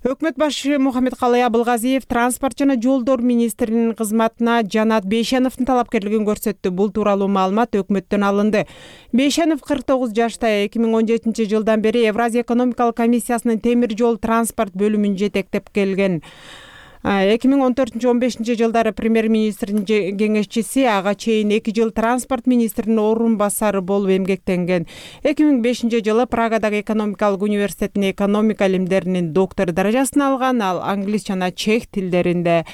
Speaker 4: Өкмөт башы Мухаммедкалый Абылгазиев транспорт жана жолдор министринин кызматына Жанат Бейшеновдун талапкерлигин көрсөттү. Бул тууралуу маалымат өкмөттөн алынды. Бейшенов кырк тогуз жашта, эки миң он жетинчи жылдан бери Евразия экономикалык комиссиясынын темир жол транспорт бөлүмүн жетектеп келген. эки миң он төртүнчү он бешинчи жылдары премьер-министрдин кеңешчиси, ага чейин эки жыл транспорт министринин орун басары болуп эмгектенген. эки миң бешинчи жылы Прагадагы экономикалык университетинин экономика илимдеринин доктору даражасын алган, ал англис жана чех тилдеринде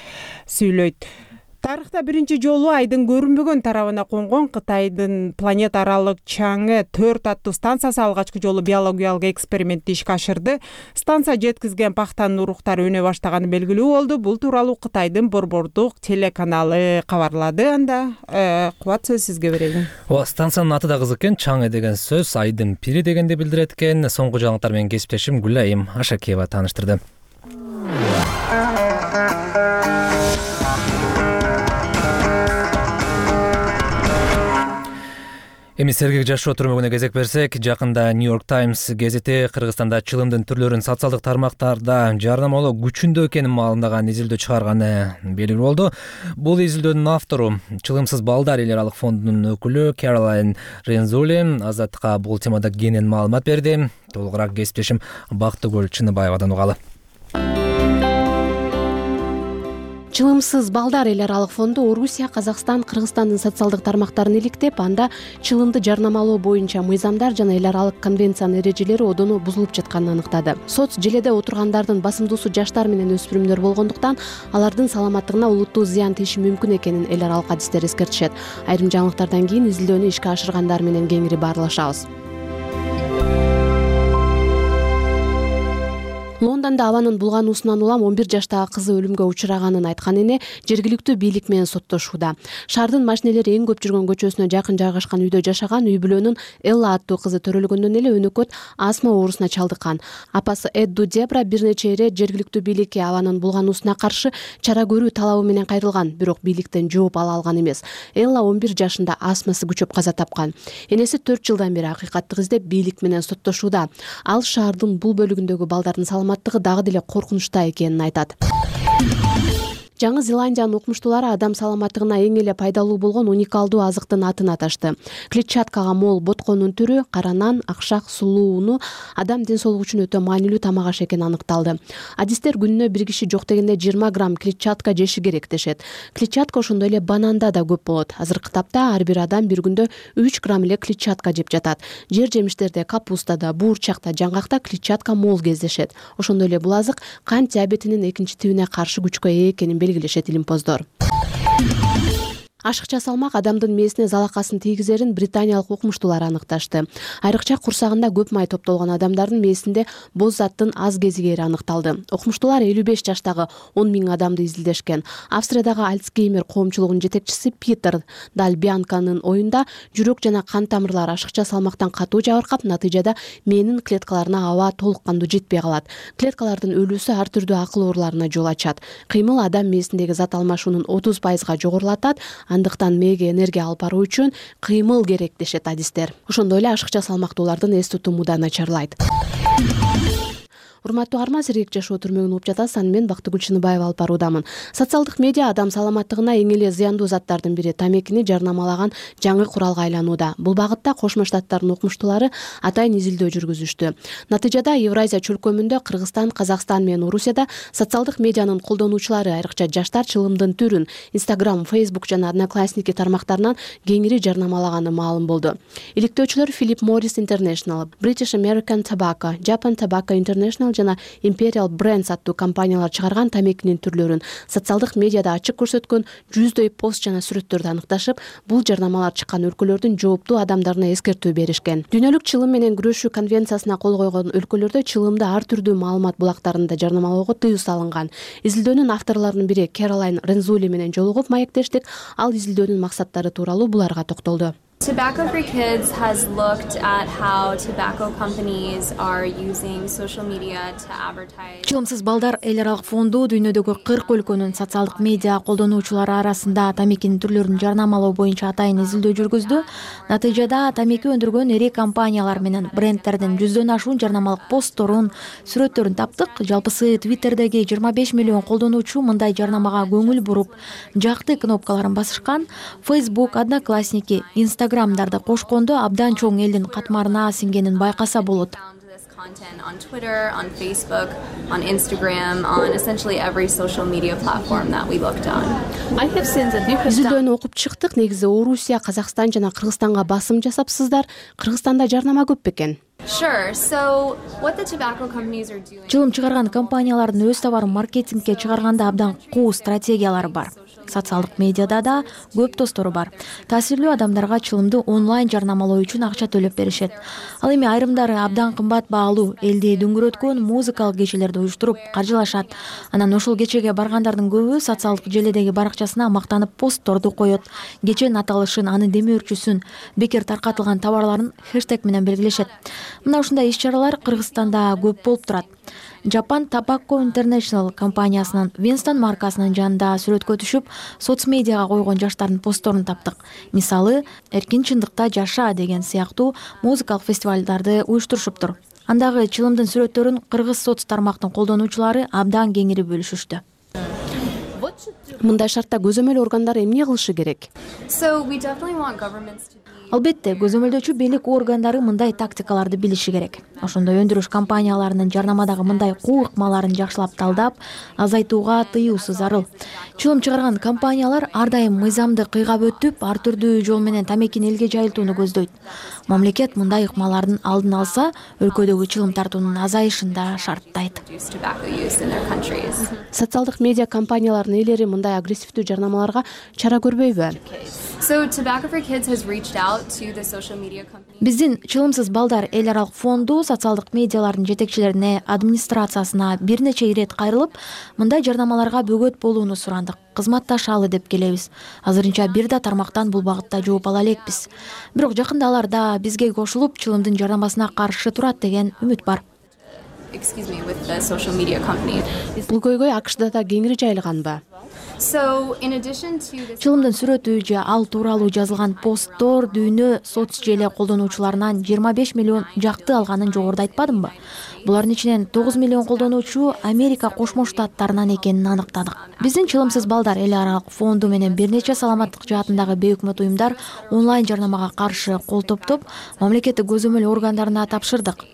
Speaker 4: сүйлөйт. Тарыхта биринчи жолу айдын көрүнбөгөн тарабына конгон Кытайдын планета аралык Чаңэ төрт аттуу станциясы алгачкы жолу биологиялык экспериментти ишке ашырды. Станция жеткизген пахтанын уруктары өнө баштаганы белгилүү болду. Бул тууралуу Кытайдын борбордук телеканалы кабарлады. Анда Кубат, сөз сизге берейин.
Speaker 1: Ооба, станциянын аты да кызык экен. Чаңэ деген сөз айдын пири дегенди билдирет экен. Соңку жаңылыктар менен кесиптешим Гүлайым Ашакиева тааныштырды. Эми сергек жашоо түрмөгүнө кезек берсек, жакында New York Times гезити Кыргызстанда чылымдын түрлөрүн социалдык тармактарда жарнамалоо күчүндө экенин маалымдаган изилдөө чыгарганы белгилүү болду. Бул изилдөөнүн автору Чылымсыз балдар эл аралык фондунун өкүлү Кэролайн Рензули Азаттыкка бул темада кенен маалымат берди. Толугураак кесиптешим Бактыгүл Чыныбаевадан угалы.
Speaker 9: Чылымсыз балдар эл аралык фонду Орусия, Казакстан, Кыргызстандын социалдык тармактарын иликтеп, анда чылымды жарнамалоо боюнча мыйзамдар жана эл аралык конвенциянын эрежелери одоно бузулуп жатканын аныктады. Соц желеде отургандардын басымдуусу жаштар менен өспүрүмдөр болгондуктан алардын саламаттыгына олуттуу зыян тийиши мүмкүн экенин эл аралык адистер эскертишет. Айрым жаңылыктардан кийин изилдөөнү ишке ашыргандар менен кеңири баарлашабыз. Лондонда абанын булгануусунан улам он бир жаштагы кызы өлүмгө учураганын айткан эне жергиликтүү бийлик менен соттошууда. Шаардын машинелери эң көп жүргөн көчөсүнө жакын жайгашкан үйдө жашаган үй бүлөнүн Элла аттуу кызы төрөлгөндөн эле өнөкөт астма оорусуна чалдыккан. Апасы Эдду Дебра бир нече эре жергиликтүү бийликке абанын булгануусуна каршы чара көрүү талабы менен кайрылган, бирок бийликтен жооп ала алган эмес. Элла он бир жашында астмасы күчөп каза тапкан. Энеси төрт жылдан бери акыйкаттык издеп бийлик менен соттошууда. Ал шаардын бул бөлүгүндөгү балдардын саламаттыгы дагы деле коркунучта экенин айтат. Жаңы Зеландиянын укмуштуулары адам саламаттыгына эң эле пайдалуу болгон уникалдуу азыктын атын аташты. Клетчаткага мол ботконун түрү кара нан, акшак, сулуу уну адам ден соолугу үчүн өтө маанилүү тамак аш экени аныкталды. Адистер күнүнө бир киши жок дегенде жыйырма грамм клетчатка жеши керек дешет. Клетчатка ошондой эле бананда да көп болот. Азыркы тапта ар бир адам бир күндө үч грамм эле клетчатка жеп жатат. Жер жемиштерде, капустада, буурчакта, жаңгакта клетчатка мол кездешет. Ошондой эле бул азык кант диабетинин экинчи тибине каршы күчкө ээ экенин белгилешет илимпоздор. Ашыкча салмак адамдын мээсине залакасын тийгизерин британиялык укмуштуулар аныкташты. Айрыкча курсагында көп май топтолгон адамдардын мээсинде боз заттын аз кезигери аныкталды. Укмуштуулар элүү беш жаштагы он миң адамды изилдешкен. Австриядагы Альцгеймер коомчулугунун жетекчиси Питер Дальбианканын оюнда жүрөк жана кан тамырлары ашыкча салмактан катуу жабыркап, натыйжада мээнин клеткаларына аба толук кандуу жетпей калат. Клеткалардын өлүүсү ар түрдүү акыл ооруларына жол ачат. Кыймыл адам мээсиндеги зат алмашуунун отуз пайызга жогорулатат. Андыктан мээге энергия алып баруу үчүн кыймыл керек дешет адистер. Ошондой эле ашыкча салмактуулардын эс тутуму да начарлайт. Урматтуу арма, сергек жашоо түрмөгүн угуп жатасыз. Аны мен Бактыгүл Чыныбаева алып баруудамын. Социалдык медиа адам саламаттыгына эң эле зыяндуу заттардын бири тамекини жарнамалаган жаңы куралга айланууда. Бул багытта Кошмо Штаттардын укмуштуулары атайын изилдөө жүргүзүштү. Натыйжада Евразия чөлкөмүндө Кыргызстан, Казакстан менен Орусияда социалдык медианын колдонуучулары, айрыкча жаштар чылымдын түрүн Instagram, Facebook жана Одноклассники тармактарынан кеңири жарнамалаганы маалым болду. Иликтөөчүлөр Philip Morris International, British American Tobacco, Japan Tobacco International жана Imperial Brands аттуу компаниялар чыгарган тамекинин түрлөрүн социалдык медиада ачык көрсөткөн жүздөй пост жана сүрөттөрдү аныкташып, бул жарнамалар чыккан өлкөлөрдүн жооптуу адамдарына эскертүү беришкен. Дүйнөлүк чылым менен күрөшүү конвенциясына кол койгон өлкөлөрдө чылымды ар түрдүү маалымат булактарында жарнамалоого тыюу салынган. Изилдөөнүн авторлорунун бири Caroline Renzulli менен жолугуп маектештик. Ал изилдөөнүн максаттары тууралуу буларга токтолду.
Speaker 10: Tobacco for Kids has looked at how tobacco companies are using social media to advertise.
Speaker 2: Чылымсыз балдар эл аралык фонду дүйнөдөгү кырк өлкөнүн социалдык медиа колдонуучулары арасында тамекинин түрлөрүн жарнамалоо боюнча атайын изилдөө жүргүздү. Натыйжада тамеки өндүргөн ири компаниялар менен брендтердин жүздөн ашуун жарнамалык постторун, сүрөттөрүн таптык. Жалпысы Twitterдеги жыйырма беш миллион колдонуучу мындай жарнамага көңүл буруп, жакты кнопкаларын басышкан. Facebook, Одноклассники, Instagram'дарды кошкондо абдан чоң элдин катмарына сиңгенин байкаса болот.
Speaker 10: Content on Twitter, on Facebook, on Instagram, on essentially every social media platform that we looked on. I have seen that you have
Speaker 9: Изилдөөнү окуп чыктык. Негизи Орусия, Казакстан жана Кыргызстанга басым жасапсыздар. Кыргызстанда жарнама көп бекен?
Speaker 10: Sure. So what the tobacco companies are doing.
Speaker 2: Чылым чыгарган компаниялардын өз товарын маркетингке чыгарганда абдан куу стратегиялары бар. Социалдык медиада да көп достору бар. Таасирлүү адамдарга чылымды онлайн жарнамалоо үчүн акча төлөп беришет. Ал эми айрымдары абдан кымбат баалуу элди дүңгүрөткөн музыкалык кечелерди уюштуруп каржылашат. Анан ошол кечеге баргандардын көбү социалдык желидеги баракчасына мактанып постторду коет. Кеченин аталышын, анын демөөрчүсүн, бекер таркатылган товарларын хэштег менен белгилешет. Мына ушундай иш-чаралар Кыргызстанда көп болуп турат. Japan Tobacco International компаниясынын Winston маркасынын жанында сүрөткө түшүп, соцмедиага койгон жаштардын постторун таптык. Мисалы, эркин чындыкта жаша деген сыяктуу музыкалык фестивалдарды уюштурушуптур. Андагы чылымдын сүрөттөрүн кыргыз соц тармактын колдонуучулары абдан кеңири бөлүшүштү.
Speaker 9: Мындай шартта көзөмөл органдары эмне кылышы керек?
Speaker 10: So we definitely want governments to
Speaker 2: Албетте, көзөмөлдөөчү бийлик органдары мындай тактикаларды билиши керек. Ошондой өндүрүш компанияларынын жарнамадагы мындай куу ыкмаларын жакшылап талдап, азайтууга тыюусу зарыл. Чылым чыгарган компаниялар ар дайым мыйзамды кыйгап өтүп, ар түрдүү жол менен тамекини элге жайылтууну көздөйт. Мамлекет мындай ыкмалардын алдын алса, өлкөдөгү чылым тартуунун азайышын да шарттайт.
Speaker 9: Социалдык медиа компаниялардын ээлери мындай агрессивдүү жарнамаларга чара көрбөйбү?
Speaker 10: So Tobacco for Kids has reached out to the social media companies.
Speaker 2: Биздин чылымсыз балдар эл аралык фонду социалдык медиалардын жетекчилерине, администрациясына бир нече ирет кайрылып, мындай жарнамаларга бөгөт болууну сурандык. Кызматташалы деп келебиз. Азырынча бир да тармактан бул багытта жооп ала элекпиз. Бирок жакында алар да бизге кошулуп, чылымдын жарнамасына каршы турат деген үмүт бар.
Speaker 10: Excuse me, with the social media company.
Speaker 9: Бул көйгөй АКШда да кеңири жайылганбы?
Speaker 2: чылымдын сүрөтү же ал тууралуу жазылган посттор дүйнө соц желе колдонуучуларынан жыйырма беш миллион жакты алганын жогоруда айтпадымбы? Булардын ичинен тогуз миллион колдонуучу Америка Кошмо Штаттарынан экенин аныктадык. Биздин Чылымсыз балдар эл аралык фонду менен бир нече саламаттык жаатындагы бейөкмөт уюмдар онлайн жарнамага каршы кол топтоп, мамлекеттик көзөмөл органдарына тапшырдык.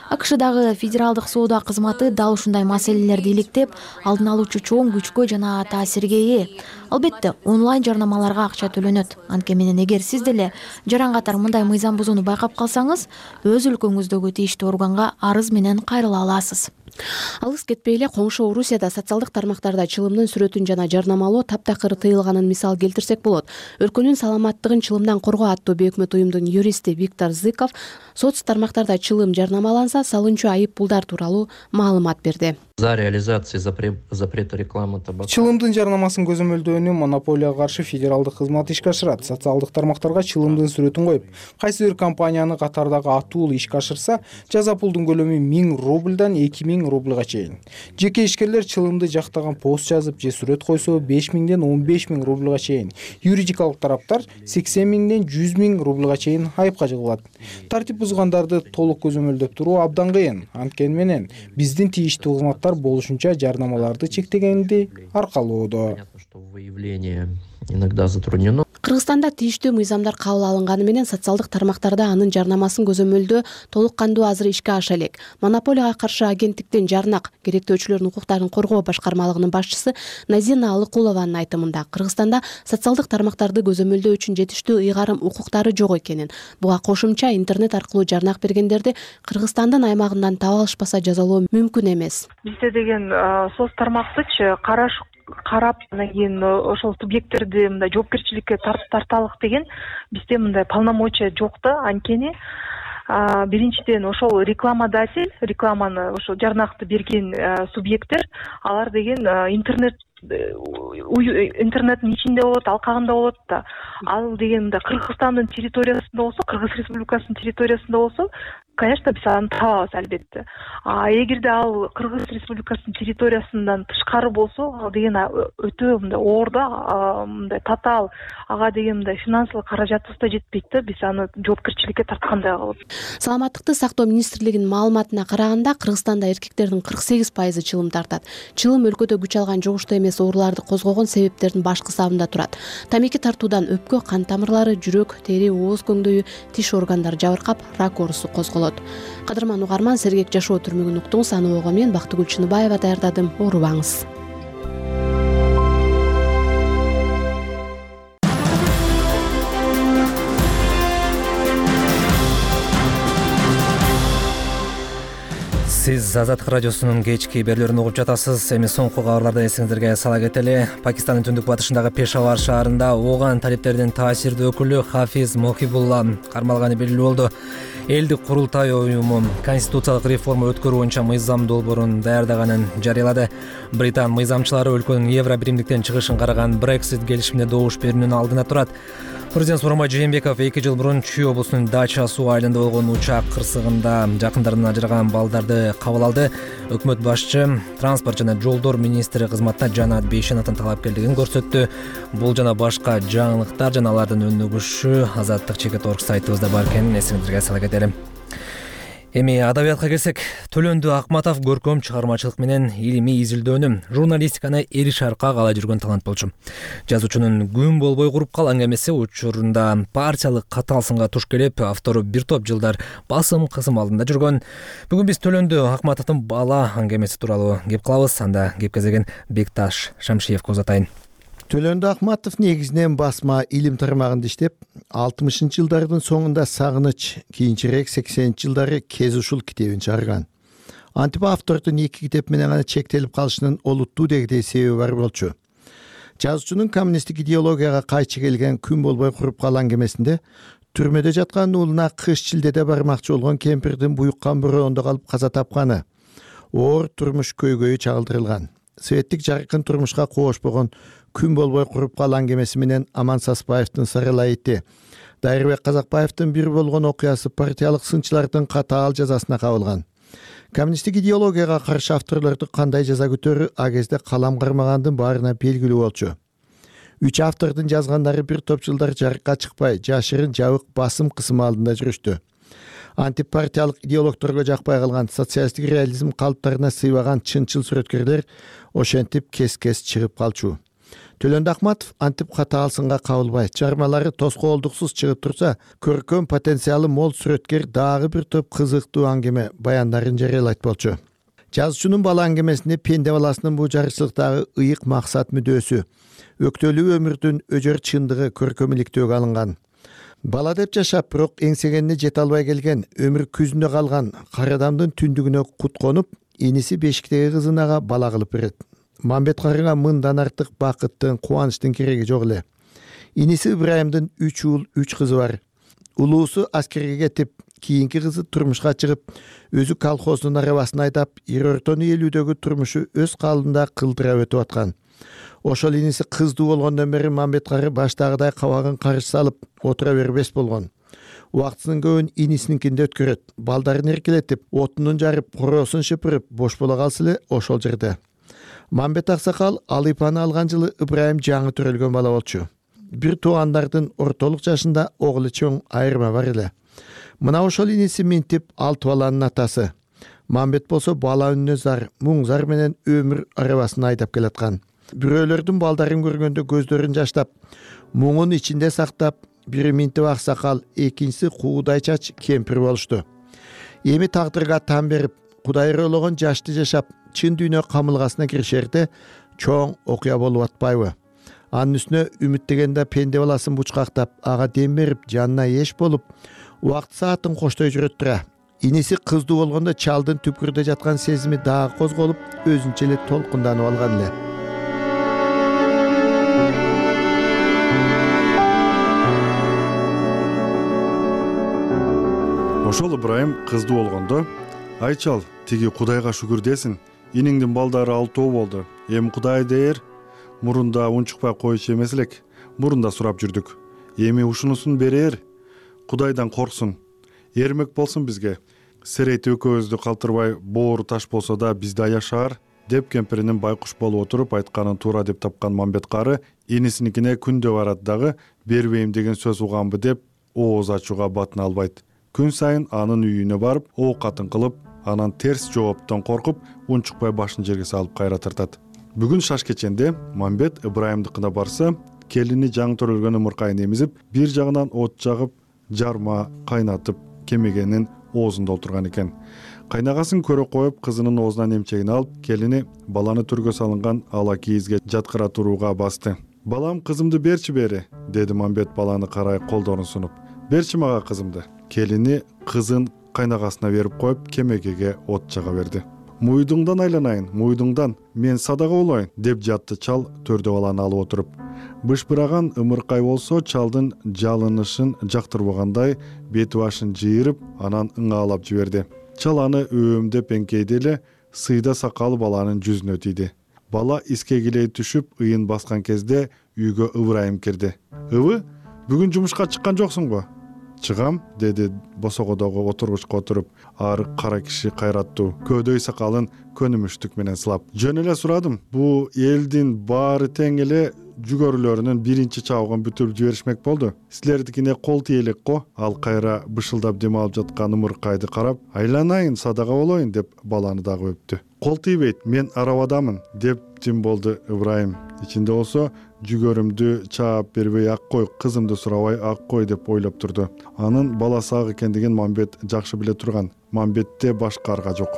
Speaker 2: АКШдагы федералдык соода кызматы дал ушундай маселелерди иликтеп, алдын алуучу чоң күчкө жана таасирге ээ. Албетте, онлайн жарнамаларга акча төлөнөт. Анткени менен эгер сиз деле жаран катар мындай мыйзам бузууну байкап калсаңыз, өз өлкөңүздөгү тийиштүү органга арыз менен кайрыла аласыз.
Speaker 9: Алыс кетпей эле коңшу Орусияда социалдык тармактарда чылымдын сүрөтүн жана жарнамалоо таптакыр тыйылганын мисал келтирсек болот. Өлкөнүн саламаттыгын чылымдан коргоо аттуу бейөкмөт уюмдун юристи Виктор Зыков соц тармактарда чылым жарнамаланса салынчу айып пулдар тууралуу маалымат берди.
Speaker 8: За реализацией запрета рекламы табака.
Speaker 11: Чылымдын жарнамасын көзөмөлдөөнү монополияга каршы федералдык кызмат ишке ашырат. Социалдык тармактарга чылымдын сүрөтүн коюп, кайсы бир компанияны катардагы аттуу ишке ашырса, жаза пулдун көлөмү миң рубльдан эки миң рубльга чейин. Жеке ишкерлер чылымды жактаган пост жазып же сүрөт койсо беш миңден он беш миң рубльга чейин. Юридикалык тараптар сексен миңден жүз миң рубльга чейин айыпка жыгылат. Тартип бузгандарды толук көзөмөлдөп туруу абдан кыйын. Анткени менен биздин тийиштүү кызматтар болушунча жарнамаларды чектегенди аркалоодо.
Speaker 8: Иногда затруднено.
Speaker 9: Кыргызстанда тийиштүү мыйзамдар кабыл алынганы менен социалдык тармактарда анын жарнамасын көзөмөлдөө толук кандуу азыр ишке аша элек. Монополияга каршы агенттиктин жарнак керектөөчүлөрдүн укуктарын коргоо башкармалыгынын башчысы Назина Алыкулованын айтымында Кыргызстанда социалдык тармактарды көзөмөлдөө үчүн жетиштүү ыйгарым укуктары жок экенин, буга кошумча интернет аркылуу жарнак бергендерди Кыргызстандын аймагынан таап алышпаса жазалоо мүмкүн эмес.
Speaker 12: Бизде деген соц тармактычы караш карап анан кийин ошол субъекттерди мындай жоопкерчиликке тарталык деген бизде мындай полномочия жок да. Анткени биринчиден ошол рекламодатель, рекламаны ошол жарнакты берген субъекттер, алар деген интернет интернеттин ичинде болот, алкагында болот да. Ал деген Кыргызстандын территориясында болсо, Кыргыз Республикасынын территориясында болсо, конечно, биз аны табабыз албетте. А эгерде ал Кыргыз Республикасынын территориясынан тышкары болсо, ал деген өтө мындай оор да, мындай татаал, ага деген мындай финансылык каражатыбыз да жетпейт да, биз аны жоопкерчиликке тарткандай кылып.
Speaker 9: Саламаттыкты сактоо министрлигинин маалыматына караганда, Кыргызстанда эркектердин кырк сегиз пайызы чылым тартат. Чылым өлкөдө күч алган жугуштуу эмес ооруларды козгогон себептердин башкы сабында турат. Тамеки тартуудан өпкө, кан тамырлары, жүрөк, тери, ооз көңдөйү, тиш органдары жабыркап, рак оорусу козголот. Кадырман угарман, сергек жашоо түрмөгүн уктуңуз. Аны ого мен Бактыгүл Чыныбаева даярдадым. Оорубаңыз.
Speaker 1: Сиз Азаттык радиосунун кечки берүүлөрүн угуп жатасыз. Эми соңку кабарлардан эсиңиздерге сала кетели. Пакистандын түндүк батышындагы Пешавар шаарында ооган талиптердин таасирдүү өкүлү Хафиз Мохибулла кармалганы белгилүү болду. Элдик курултай уюму конституциялык реформа өткөрүү боюнча мыйзам долбоорун даярдаганын жарыялады. Британ мыйзамчылары өлкөнүн Евро биримдиктен чыгышын караган Brexit келишимине добуш берүүнүн алдына турат. Президент Сооронбай Жээнбеков эки жыл мурун Чүй облусунун Дача суу айылында болгон учак кырсыгында жакындарынан ажыраган балдарды кабыл алды. Өкмөт башчы транспорт жана жолдор министри кызматына Жанат Бейшеновдун талапкерлигин көрсөттү. Бул жана башка жаңылыктар жана алардын өнүгүшү Азаттык чекит орг сайтыбызда бар экенин эсиңиздерге сала кетели. Эми адабиятка келсек, Төлөндү Акматов көркөм чыгармачылык менен илимий изилдөөнү, журналистиканы эриш арка каалай жүргөн талант болчу. Жазуучунун күн болбой куруп кал аңгемеси учурунда партиялык катаал сынга туш келип, автору бир топ жылдар басым кысым алдында жүргөн. Бүгүн биз Төлөндү Акматовдун бала аңгемеси тууралуу кеп кылабыз. Анда кеп кезеген Бекташ Шамшиевге узатайын.
Speaker 13: Төлөндү Акматов негизинен басма илим тармагында иштеп, алтымышынчы жылдардын соңунда Сагыныч, кийинчерээк сексенинчи жылдары Кез ушул китебин чыгарган. Антип автордун эки китеп менен гана чектелип калышынын олуттуу дегдей себеби бар болчу. Жазуучунун коммунисттик идеологияга кайчы келген күн болбой куруп кал аңгемесинде түрмөдө жаткан уулуна кыш шилдеде бармакчы болгон кемпирдин буюккан бороондо калып каза тапканы, оор турмуш көйгөйү чагылдырылган. Светтик жаркын турмушка коошпогон күн болбой куруп кал аңгемеси менен Аман Саспаевдин Сарылайыты, Дайырбек Казакбаевдин бир болгон окуясы партиялык сынчылардын катаал жазасына кабылган. коммунисттик идеологияга каршы авторлорду кандай жаза күтөрү а кезде калам кармагандын баарына белгилүү болчу. Үч автордун жазгандары бир топ жылдар жарыкка чыкпай, жашырын жабык басым кысымы алдында жүрүштү. Антипартиялык идеологторго жакпай калган социалисттик реализм калыптарына сыйбаган чынчыл сүрөткерлер ошентип кес-кес чыгып калчу. Төлөндө Акматов антип катаалсынга кабылбай, чыгармалары тоскоолдуксуз чыгып турса, көркөм потенциалы мол сүрөткер дагы бир топ кызыктуу аңгеме баяндарын жарыялайт болчу. Жазуучунун бала аңгемесинде пенде баласынын бул жарычылыктагы ыйык максат мүдөөсү, өктөлүү өмүрдүн өжөр чындыгы көркөмүлүктөөгө алынган. Бала деп жашап, бирок эңсегенине жете албай келген, өмүр күзүндө калган кара адамдын түндүгүнө кут конуп, иниси бешиктеги кызынага бала кылып берет. Мамбет карыга мындан артык бакыттын, кубанычтын кереги жок эле. Иниси Ыбрайымдын үч уул, үч кызы бар. Улуусу аскерге кетип, кийинки кызы турмушка чыгып, өзү колхоздун арабасын айдап, эр ортону элүүдөгү турмушу өз калыбында кылдыра өтүп аткан. Ошол иниси кыздуу болгондон бери Мамбет кары баштагыдай кабагын карыш салып отура бербес болгон. Убактысынын көбүн инисиникинде өткөрөт. Балдарын эркелетип, отунун жарып, короосун шыпырып, бош бола калса эле ошол жерде. Мамбет аксакал Алыйпаны алган жылы Ыбрайым жаңы төрөлгөн бала болчу. Бир туугандардын ортолук жашында оглу чоң айырма бар эле. Мына ошол иниси минтип алты баланын атасы. Мамбет болсо бала үнүнө зар, муң зар менен өмүр арабасын айдап келаткан. Бирөөлөрдүн балдарын көргөндө көздөрүн жаштап, муңун ичинде сактап, бири минтип аксакал, экинчиси куудай чач кемпир болушту. Эми тагдырга тан берип, Кудай ыроологон жашты жашап, чын дүйнө камылгасына киришерде чоң окуя болуп атпайбы? Анын үстүнө үмүттөгөндө пенде баласын бучкактап, ага дем берип, жанына эш болуп, убакыт саатын коштой жүрөт тура. Иниси кыздуу болгондо чалдын түпкүрдө жаткан сезими дагы козголуп, өзүнчө эле толкунданып алган эле.
Speaker 24: Ошол Ыбрайым кыздуу болгондо, ай чал, тиги Кудайга шүгүр десин, иниңдин балдары алтоо болду. Эми Кудай дээр, мурунда унчукпай коюучу эмес элек, мурунда сурап жүрдүк. Эми ушунусун берер, Кудайдан корксун, эрмек болсун бизге. Серейт экөөбүздү калтырбай, боору таш болсо да бизде аяшаар, деп кемпиринин байкуш болуп отуруп айтканын туура деп тапкан Мамбет кары инисиникине күндө барат дагы бербейм деген сөз уганбы деп ооз ачууга батына албайт. Күн сайын анын үйүнө барып, оокатын кылып, анан терс жооптон коркуп, унчукпай башын жерге салып кайра тартат. Бүгүн шаш кеченде Мамбет Ыбрайымдыкына барса, келини жаңы төрөлгөн ымыркайын эмизип, бир жагынан от жагып, жарма кайнатып кемегенин оозунда отурган экен. Кайнагасын көрө коюп, кызынын оозунан эмчегин алып, келини баланы төргө салынган ала кийизге жаткыра турууга басты. Балам, кызымды берчи бери, деди Мамбет баланы карай колдорун сунуп. Берчи мага кызымды. Келини кызын кайнагасына берип коюп, кемегеге от жага берди. Муйдуңдан айланайын, муйдуңдан, мен садага болоюн, деп жатты чал төрдө баланы алып отуруп. Бышбыраган ымыркай болсо, чалдын жалынышын жактырбагандай бети башын жыйырып, анан ыңаалап жиберди. Чал аны өөмдөп эңкейди эле, сыйда сакалы баланын жүзүнө тийди. Бала искегилей түшүп, ыйын баскан кезде үйгө Ыбрайым кирди. Ыбы, бүгүн жумушка чыккан жоксуң го? Чыгам, деди босогодогу отургучка отуруп, арык кара киши кайраттуу, көөдөй сакалын көнүмүштүк менен сылап. Жөн эле сурадым. Бул элдин баары тең эле жүгөрүлөрүнүн биринчи чабыгын бүтүрүп жиберишмек болду. Силердикине кол тийелек го? Ал кайра бышылдап дем алып жаткан ымыркайды карап, айланайын, садага болоюн, деп баланы дагы өптү. Кол тийбейт, мен арабадамын, деп тим болду Ыбрайым. Ичинде болсо, жүгөрүмдү чаап бербей ак кой, кызымды сурабай ак кой деп ойлоп турду. Анын баласы ак экендигин Мамбет жакшы биле турган. Мамбетте башка арга жок.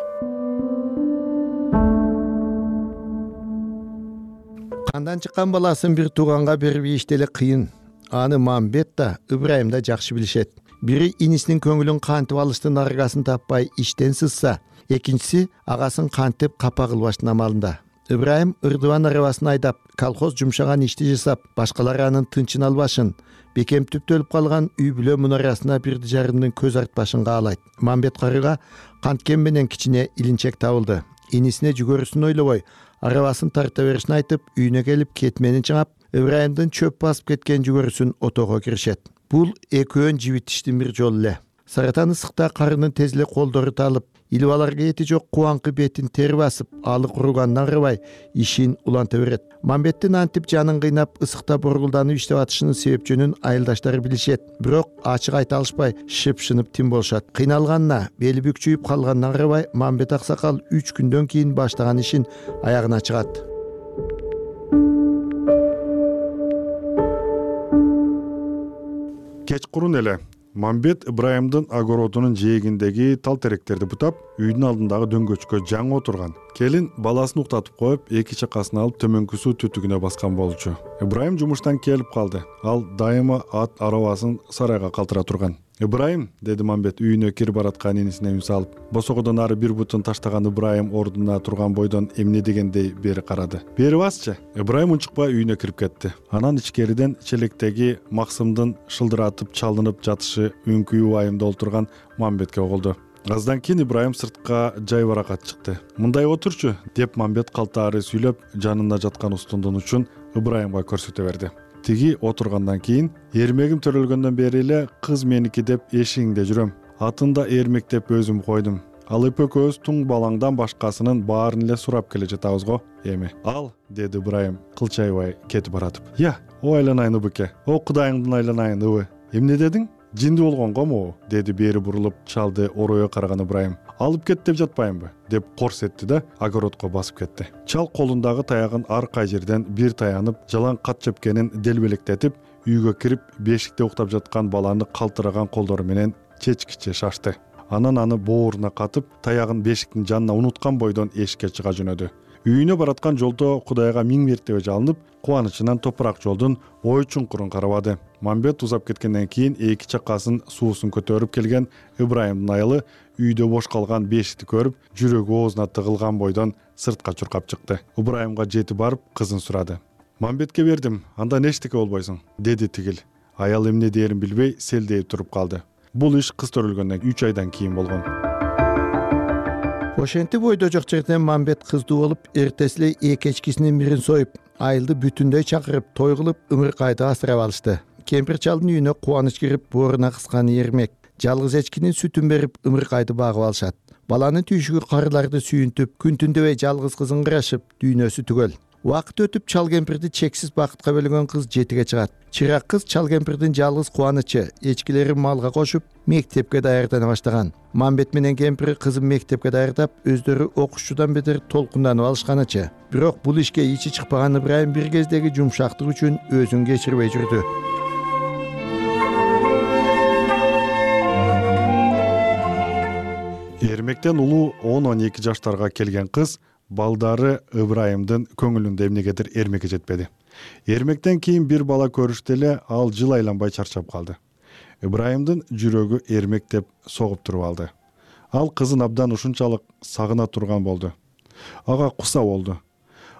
Speaker 13: Кандан чыккан баласын бир тууганга берип ийишти эле кыйын. Аны Мамбет да, Ыбрайым да жакшы билишет. Бири инисинин көңүлүн кантип алыштын аргасын таппай иштен сызса, экинчиси агасын кантип капа кылбаштын амалында. Ыбрайым ырдыбан арабасын айдап, колхоз жумшаган ишти жасап, башкалар анын тынчын албашын, бекем түптөлүп калган үй бүлө мунарасына бирди жарымдын көз артпашын каалайт. Мамбет карыга канткен менен кичине илинчек табылды. Инисине жүгөрүсүн ойлобой, арабасын тарта беришин айтып, үйүнө келип кетменин чыңап, Ыбрайымдын чөп басып кеткен жүгөрүсүн отого киришет. Бул экөөн жибитиштин бир жолу эле. Саратан ысыкта карынын тез эле колдору талып, илбаларга эти жок кубаңкы бетин тер басып алы куругандан арыбай ишин уланта берет. Мамбеттин антип жанын кыйнап ысыкта боргулданып иштеп атышынын себеп жөнүн айылдаштары билишет, бирок ачык айта алышпай шыпшынып тим болушат. Кыйналганына, бели бүкчүйүп калгандан арыбай Мамбет аксакал үч күндөн кийин баштаган ишин аягына чыгат.
Speaker 24: Кечкурун эле Мамбет Ыбрайымдын огородунун жээгиндеги тал теректерди бутап, үйдүн алдындагы дөңгөчкө жаңы отурган. Келин баласын уктатып коюп, эки чакасын алып төмөнкү суу түтүгүнө баскан болчу. Ыбрайым жумуштан келип калды. Ал дайыма ат арабасын сарайга калтыра турган. Ыбрайым, деди Мамбет үйүнө кирип бараткан инисине үн салып. Босогодон ары бир бутун таштаган Ыбрайым ордуна турган бойдон эмне дегендей бери карады. Бери басчы. Ыбрайым унчукпай үйүнө кирип кетти. Анан ичкериден челектеги Максымдын шылдыратып чалынып жатышы үңкүү айымда олтурган Мамбетке угулду. Аздан кийин Ыбрайым сыртка жай баракат чыкты. Мындай отурчу, деп Мамбет калтаары сүйлөп, жанында жаткан устундун учун Ыбрайымга көрсөтө берди. Тиги отургандан кийин, эрмегим төрөлгөндөн бери эле кыз меники деп эшигиңде жүрөм. Атында эрмек деп өзүм койдум. Ал эпөкөөбүз туң балаңдан башкасынын баарын эле сурап келе жатабыз го эми. Ал, деди Ыбрайым кылчайбай кетип баратып. Я, о айланайын Ыбыке, о кудайыңдын айланайын Ыбы. Эмне дедиң? Жинди болгон гому, деди бери бурулуп чалды оройо караган Ыбрайым. Алып кет деп жатпайынбы, деп корс этти да огородко басып кетти. Чал колундагы таягын ар кай жерден бир таянып, жалаң кат чөпкенин делбелектетип, үйгө кирип, бешикте уктап жаткан баланы калтыраган колдору менен чечкиче шашты. Анан аны бооруна катып, таягын бешиктин жанына унуткан бойдон эшикке чыга жөнөдү. Үйүнө бараткан жолдо Кудайга миң мертебе жалынып, кубанычынан топурак жолдун ой чуңкурун карабады. Мамбет узап кеткенден кийин эки чакасын суусун көтөрүп келген Ыбрайымдын айылы үйдө бош калган бешикти көрүп, жүрөгү оозуна тыгылган бойдон сыртка чуркап чыкты. Ыбрайымга жетип барып, кызын сурады. Мамбетке бердим, андан эчтеке болбойсуң, деди тигил. Аял эмне дээрин билбей селдейип туруп калды. Бул иш кыз төрөлгөндөн үч айдан кийин болгон.
Speaker 13: Ошентип ойдо жок жерден Мамбет кыздуу болуп, эртеси эле эки эчкисинин бирин союп, айылды бүтүндөй чакырып, той кылып, ымыркайды асырап алышты. Кемпир чалдын үйүнө кубаныч кирип, бооруна кыскан эрмек, жалгыз эчкинин сүтүн берип, ымыркайды багып алышат. Баланын түйшүгү карыларды сүйүнтүп, күн түндөбөй жалгыз кызын кырашып, дүйнөсү түгөл. Убакыт өтүп, чал кемпирди чексиз бакытка бөлөгөн кыз жетиге чыгат. Чырак кыз чал кемпирдин жалгыз кубанычы, эчкилерин малга кошуп, мектепке даярдана баштаган. Мамбет менен кемпири кызын мектепке даярдап, өздөрү окушчудан бетер толкунданып алышканычы. Бирок бул ишке ичи чыкпаган Ыбрайым бир кездеги жумшактык үчүн өзүн кечирбей жүрдү.
Speaker 24: Эрмектен улуу он он эки жаштарга келген кыз балдары Ыбрайымдын көңүлүндө эмнегедир эрмекке жетпеди. Эрмектен кийин бир бала көрүштө эле ал жыл айланбай чарчап калды. Ыбрайымдын жүрөгү эрмек деп согуп туруп алды. Ал кызын абдан ушунчалык сагына турган болду. Ага куса болду.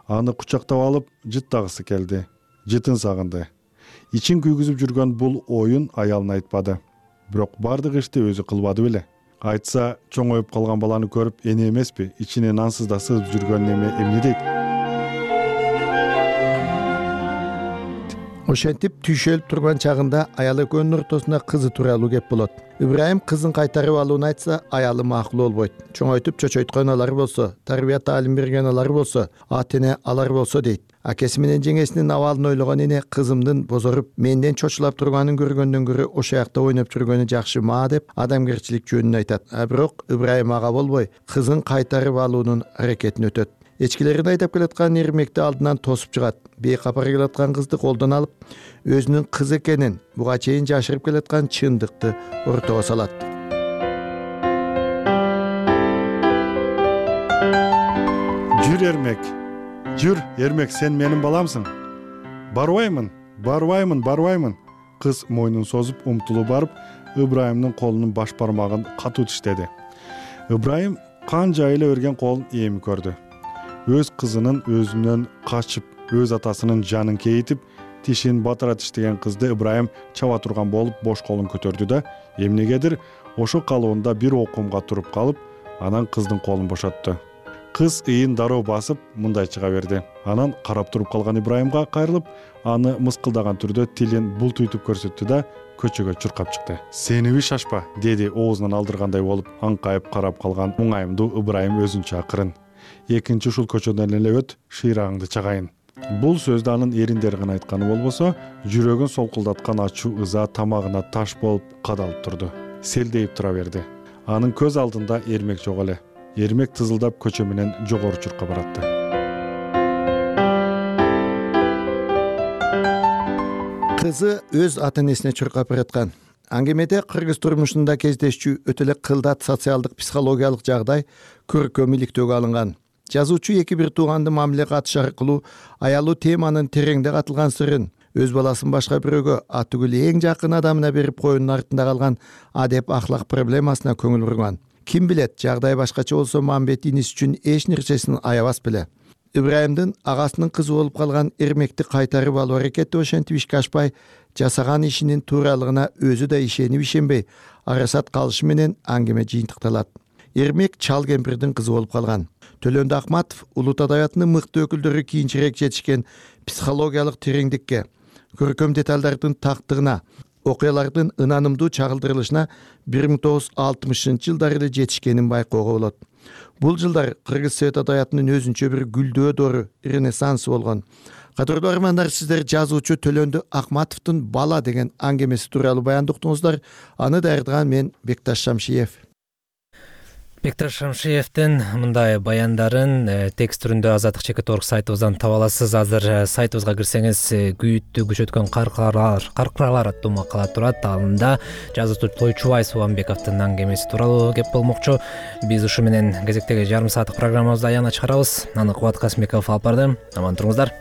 Speaker 24: Аны кучактап алып, жыттагысы келди. Жытын сагынды. Ичин күйгүзүп жүргөн бул оюн аялына айтпады. Бирок бардык ишти өзү кылбады беле. Айтса, чоңоюп калган баланы көрүп, эне эмеспи, ичине нансыз да сыгып жүргөн неме эмне дейт?
Speaker 13: Ошентип түйшөлүп турган чагында аял экөөнүн ортосуна кызы тууралуу кеп болот. Ыбрайым кызын кайтарып алууну айтса, аялы макул болбойт. Чоңойтуп чочойткон алар болсо, тарбия таалим берген алар болсо, ата эне алар болсо дейт. Акеси менен жеңесинин абалын ойлогон эне кызымдын бозоруп, менден чочулап турганын көргөндөн көрө ошо жакта ойноп жүргөнү жакшы ма деп адамгерчилик жөнүн айтат. А бирок Ыбрайым ага болбой, кызын кайтарып алуунун аракетин өтөт. Эчкилерин айдап келаткан эрмекти алдынан тосуп чыгат. Бейкапар келаткан кызды колдон алып, өзүнүн кызы экенин, буга чейин жашырып келаткан чындыкты ортого салат.
Speaker 24: Жүр эрмек. Жүр, эрмек, сен менин баламсың. Барбаймын, барбаймын, барбаймын. Кыз мойнун созуп, умтулуп барып, Ыбрайымдын колунун баш бармагын катуу тиштеди. Ыбрайым канча эле өрген колун эми көрдү. Өз кызынын өзүнөн качып, өз атасынын жанын кейитип, тишин батыра тиштеген кызды Ыбрайым чаба турган болуп бош колун көтөрдү да, эмнегедир ошо калыбында бир окумга туруп калып, анан кыздын колун бошотту. Кыз ыйын дароо басып мындай чыга берди. Анан карап туруп калган Ибрайымга кайрылып, аны мыскылдаган түрдө тилин бултуйтуп көрсөттү да көчөгө чуркап чыкты. Сениби шашпа, деди оозунан алдыргандай болуп аңкайып карап калган муңайымдуу Ибрайым өзүнчө акырын. Экинчи ушул көчөдөн эле өт, шыйрагыңды чагайын. Бул сөздү анын эриндери гана айтканы болбосо, жүрөгүн солкулдаткан ачуу ыза тамагына таш болуп кадалып турду. Селдейип тура берди. Анын көз алдында Эрмек жок эле. Эрмек тызылдап көчө менен жогору чуркап баратты.
Speaker 13: Кызы өз ата-энесине чуркап бараткан. Аңгемеде кыргыз турмушунда кездешчү өтө эле кылдат социалдык психологиялык жагдай көркөм иликтөөгө алынган. Жазуучу эки бир тууганды мамиле катыш аркылуу аялуу теманын тереңде катылган сырын өз баласын башка бирөөгө атүгүл эң жакын адамына берип коюунун артында калган адеп ахлак проблемасына көңүл бурган. Ким билет, жагдай башкача болсо Мамбет иниси үчүн эч нерсесин аябас беле. Ибрайымдын агасынын кызы болуп калган Эрмекти кайтарып алуу аракети ошентип ишке ашпай, жасаган ишинин тууралыгына өзү да ишенип ишенбей арасат калышы менен аңгеме жыйынтыкталат. Эрмек чал кемпирдин кызы болуп калган. Төлөндү Акматов улут адабиятынын мыкты өкүлдөрү кийинчерээк жетишкен психологиялык тереңдикке, көркөм деталдардын тактыгына, окуялардын ынанымдуу чагылдырылышына бир миң тогуз жүз алтымышынчы жылдары эле жетишкенин байкоого болот. Бул жылдар кыргыз совет адабиятынын өзүнчө бир гүлдөө дору, ренессансы болгон. Кадырлуу армандар, сиздер жазуучу Төлөндү Акматовдун Бала деген аңгемеси тууралуу баяндоо уктуңуздар. Аны даярдаган мен Бекташ Шамшиев.
Speaker 1: Бекташ Шамшиевдин мындай баяндарын текст түрүндө Азаттык чекит орг сайтыбыздан таба аласыз. Азыр сайтыбызга кирсеңиз күйүттү күчөткөн каркыралар, каркыралар аттуу макала турат. Анда жазуучу Тойчубай Субанбековдун аңгемеси тууралуу кеп болмокчу. Биз ушу менен кезектеги жарым сааттык программабызды аягына чыгарабыз. Аны Кубат Касмеков алып барды. Аман туруңуздар.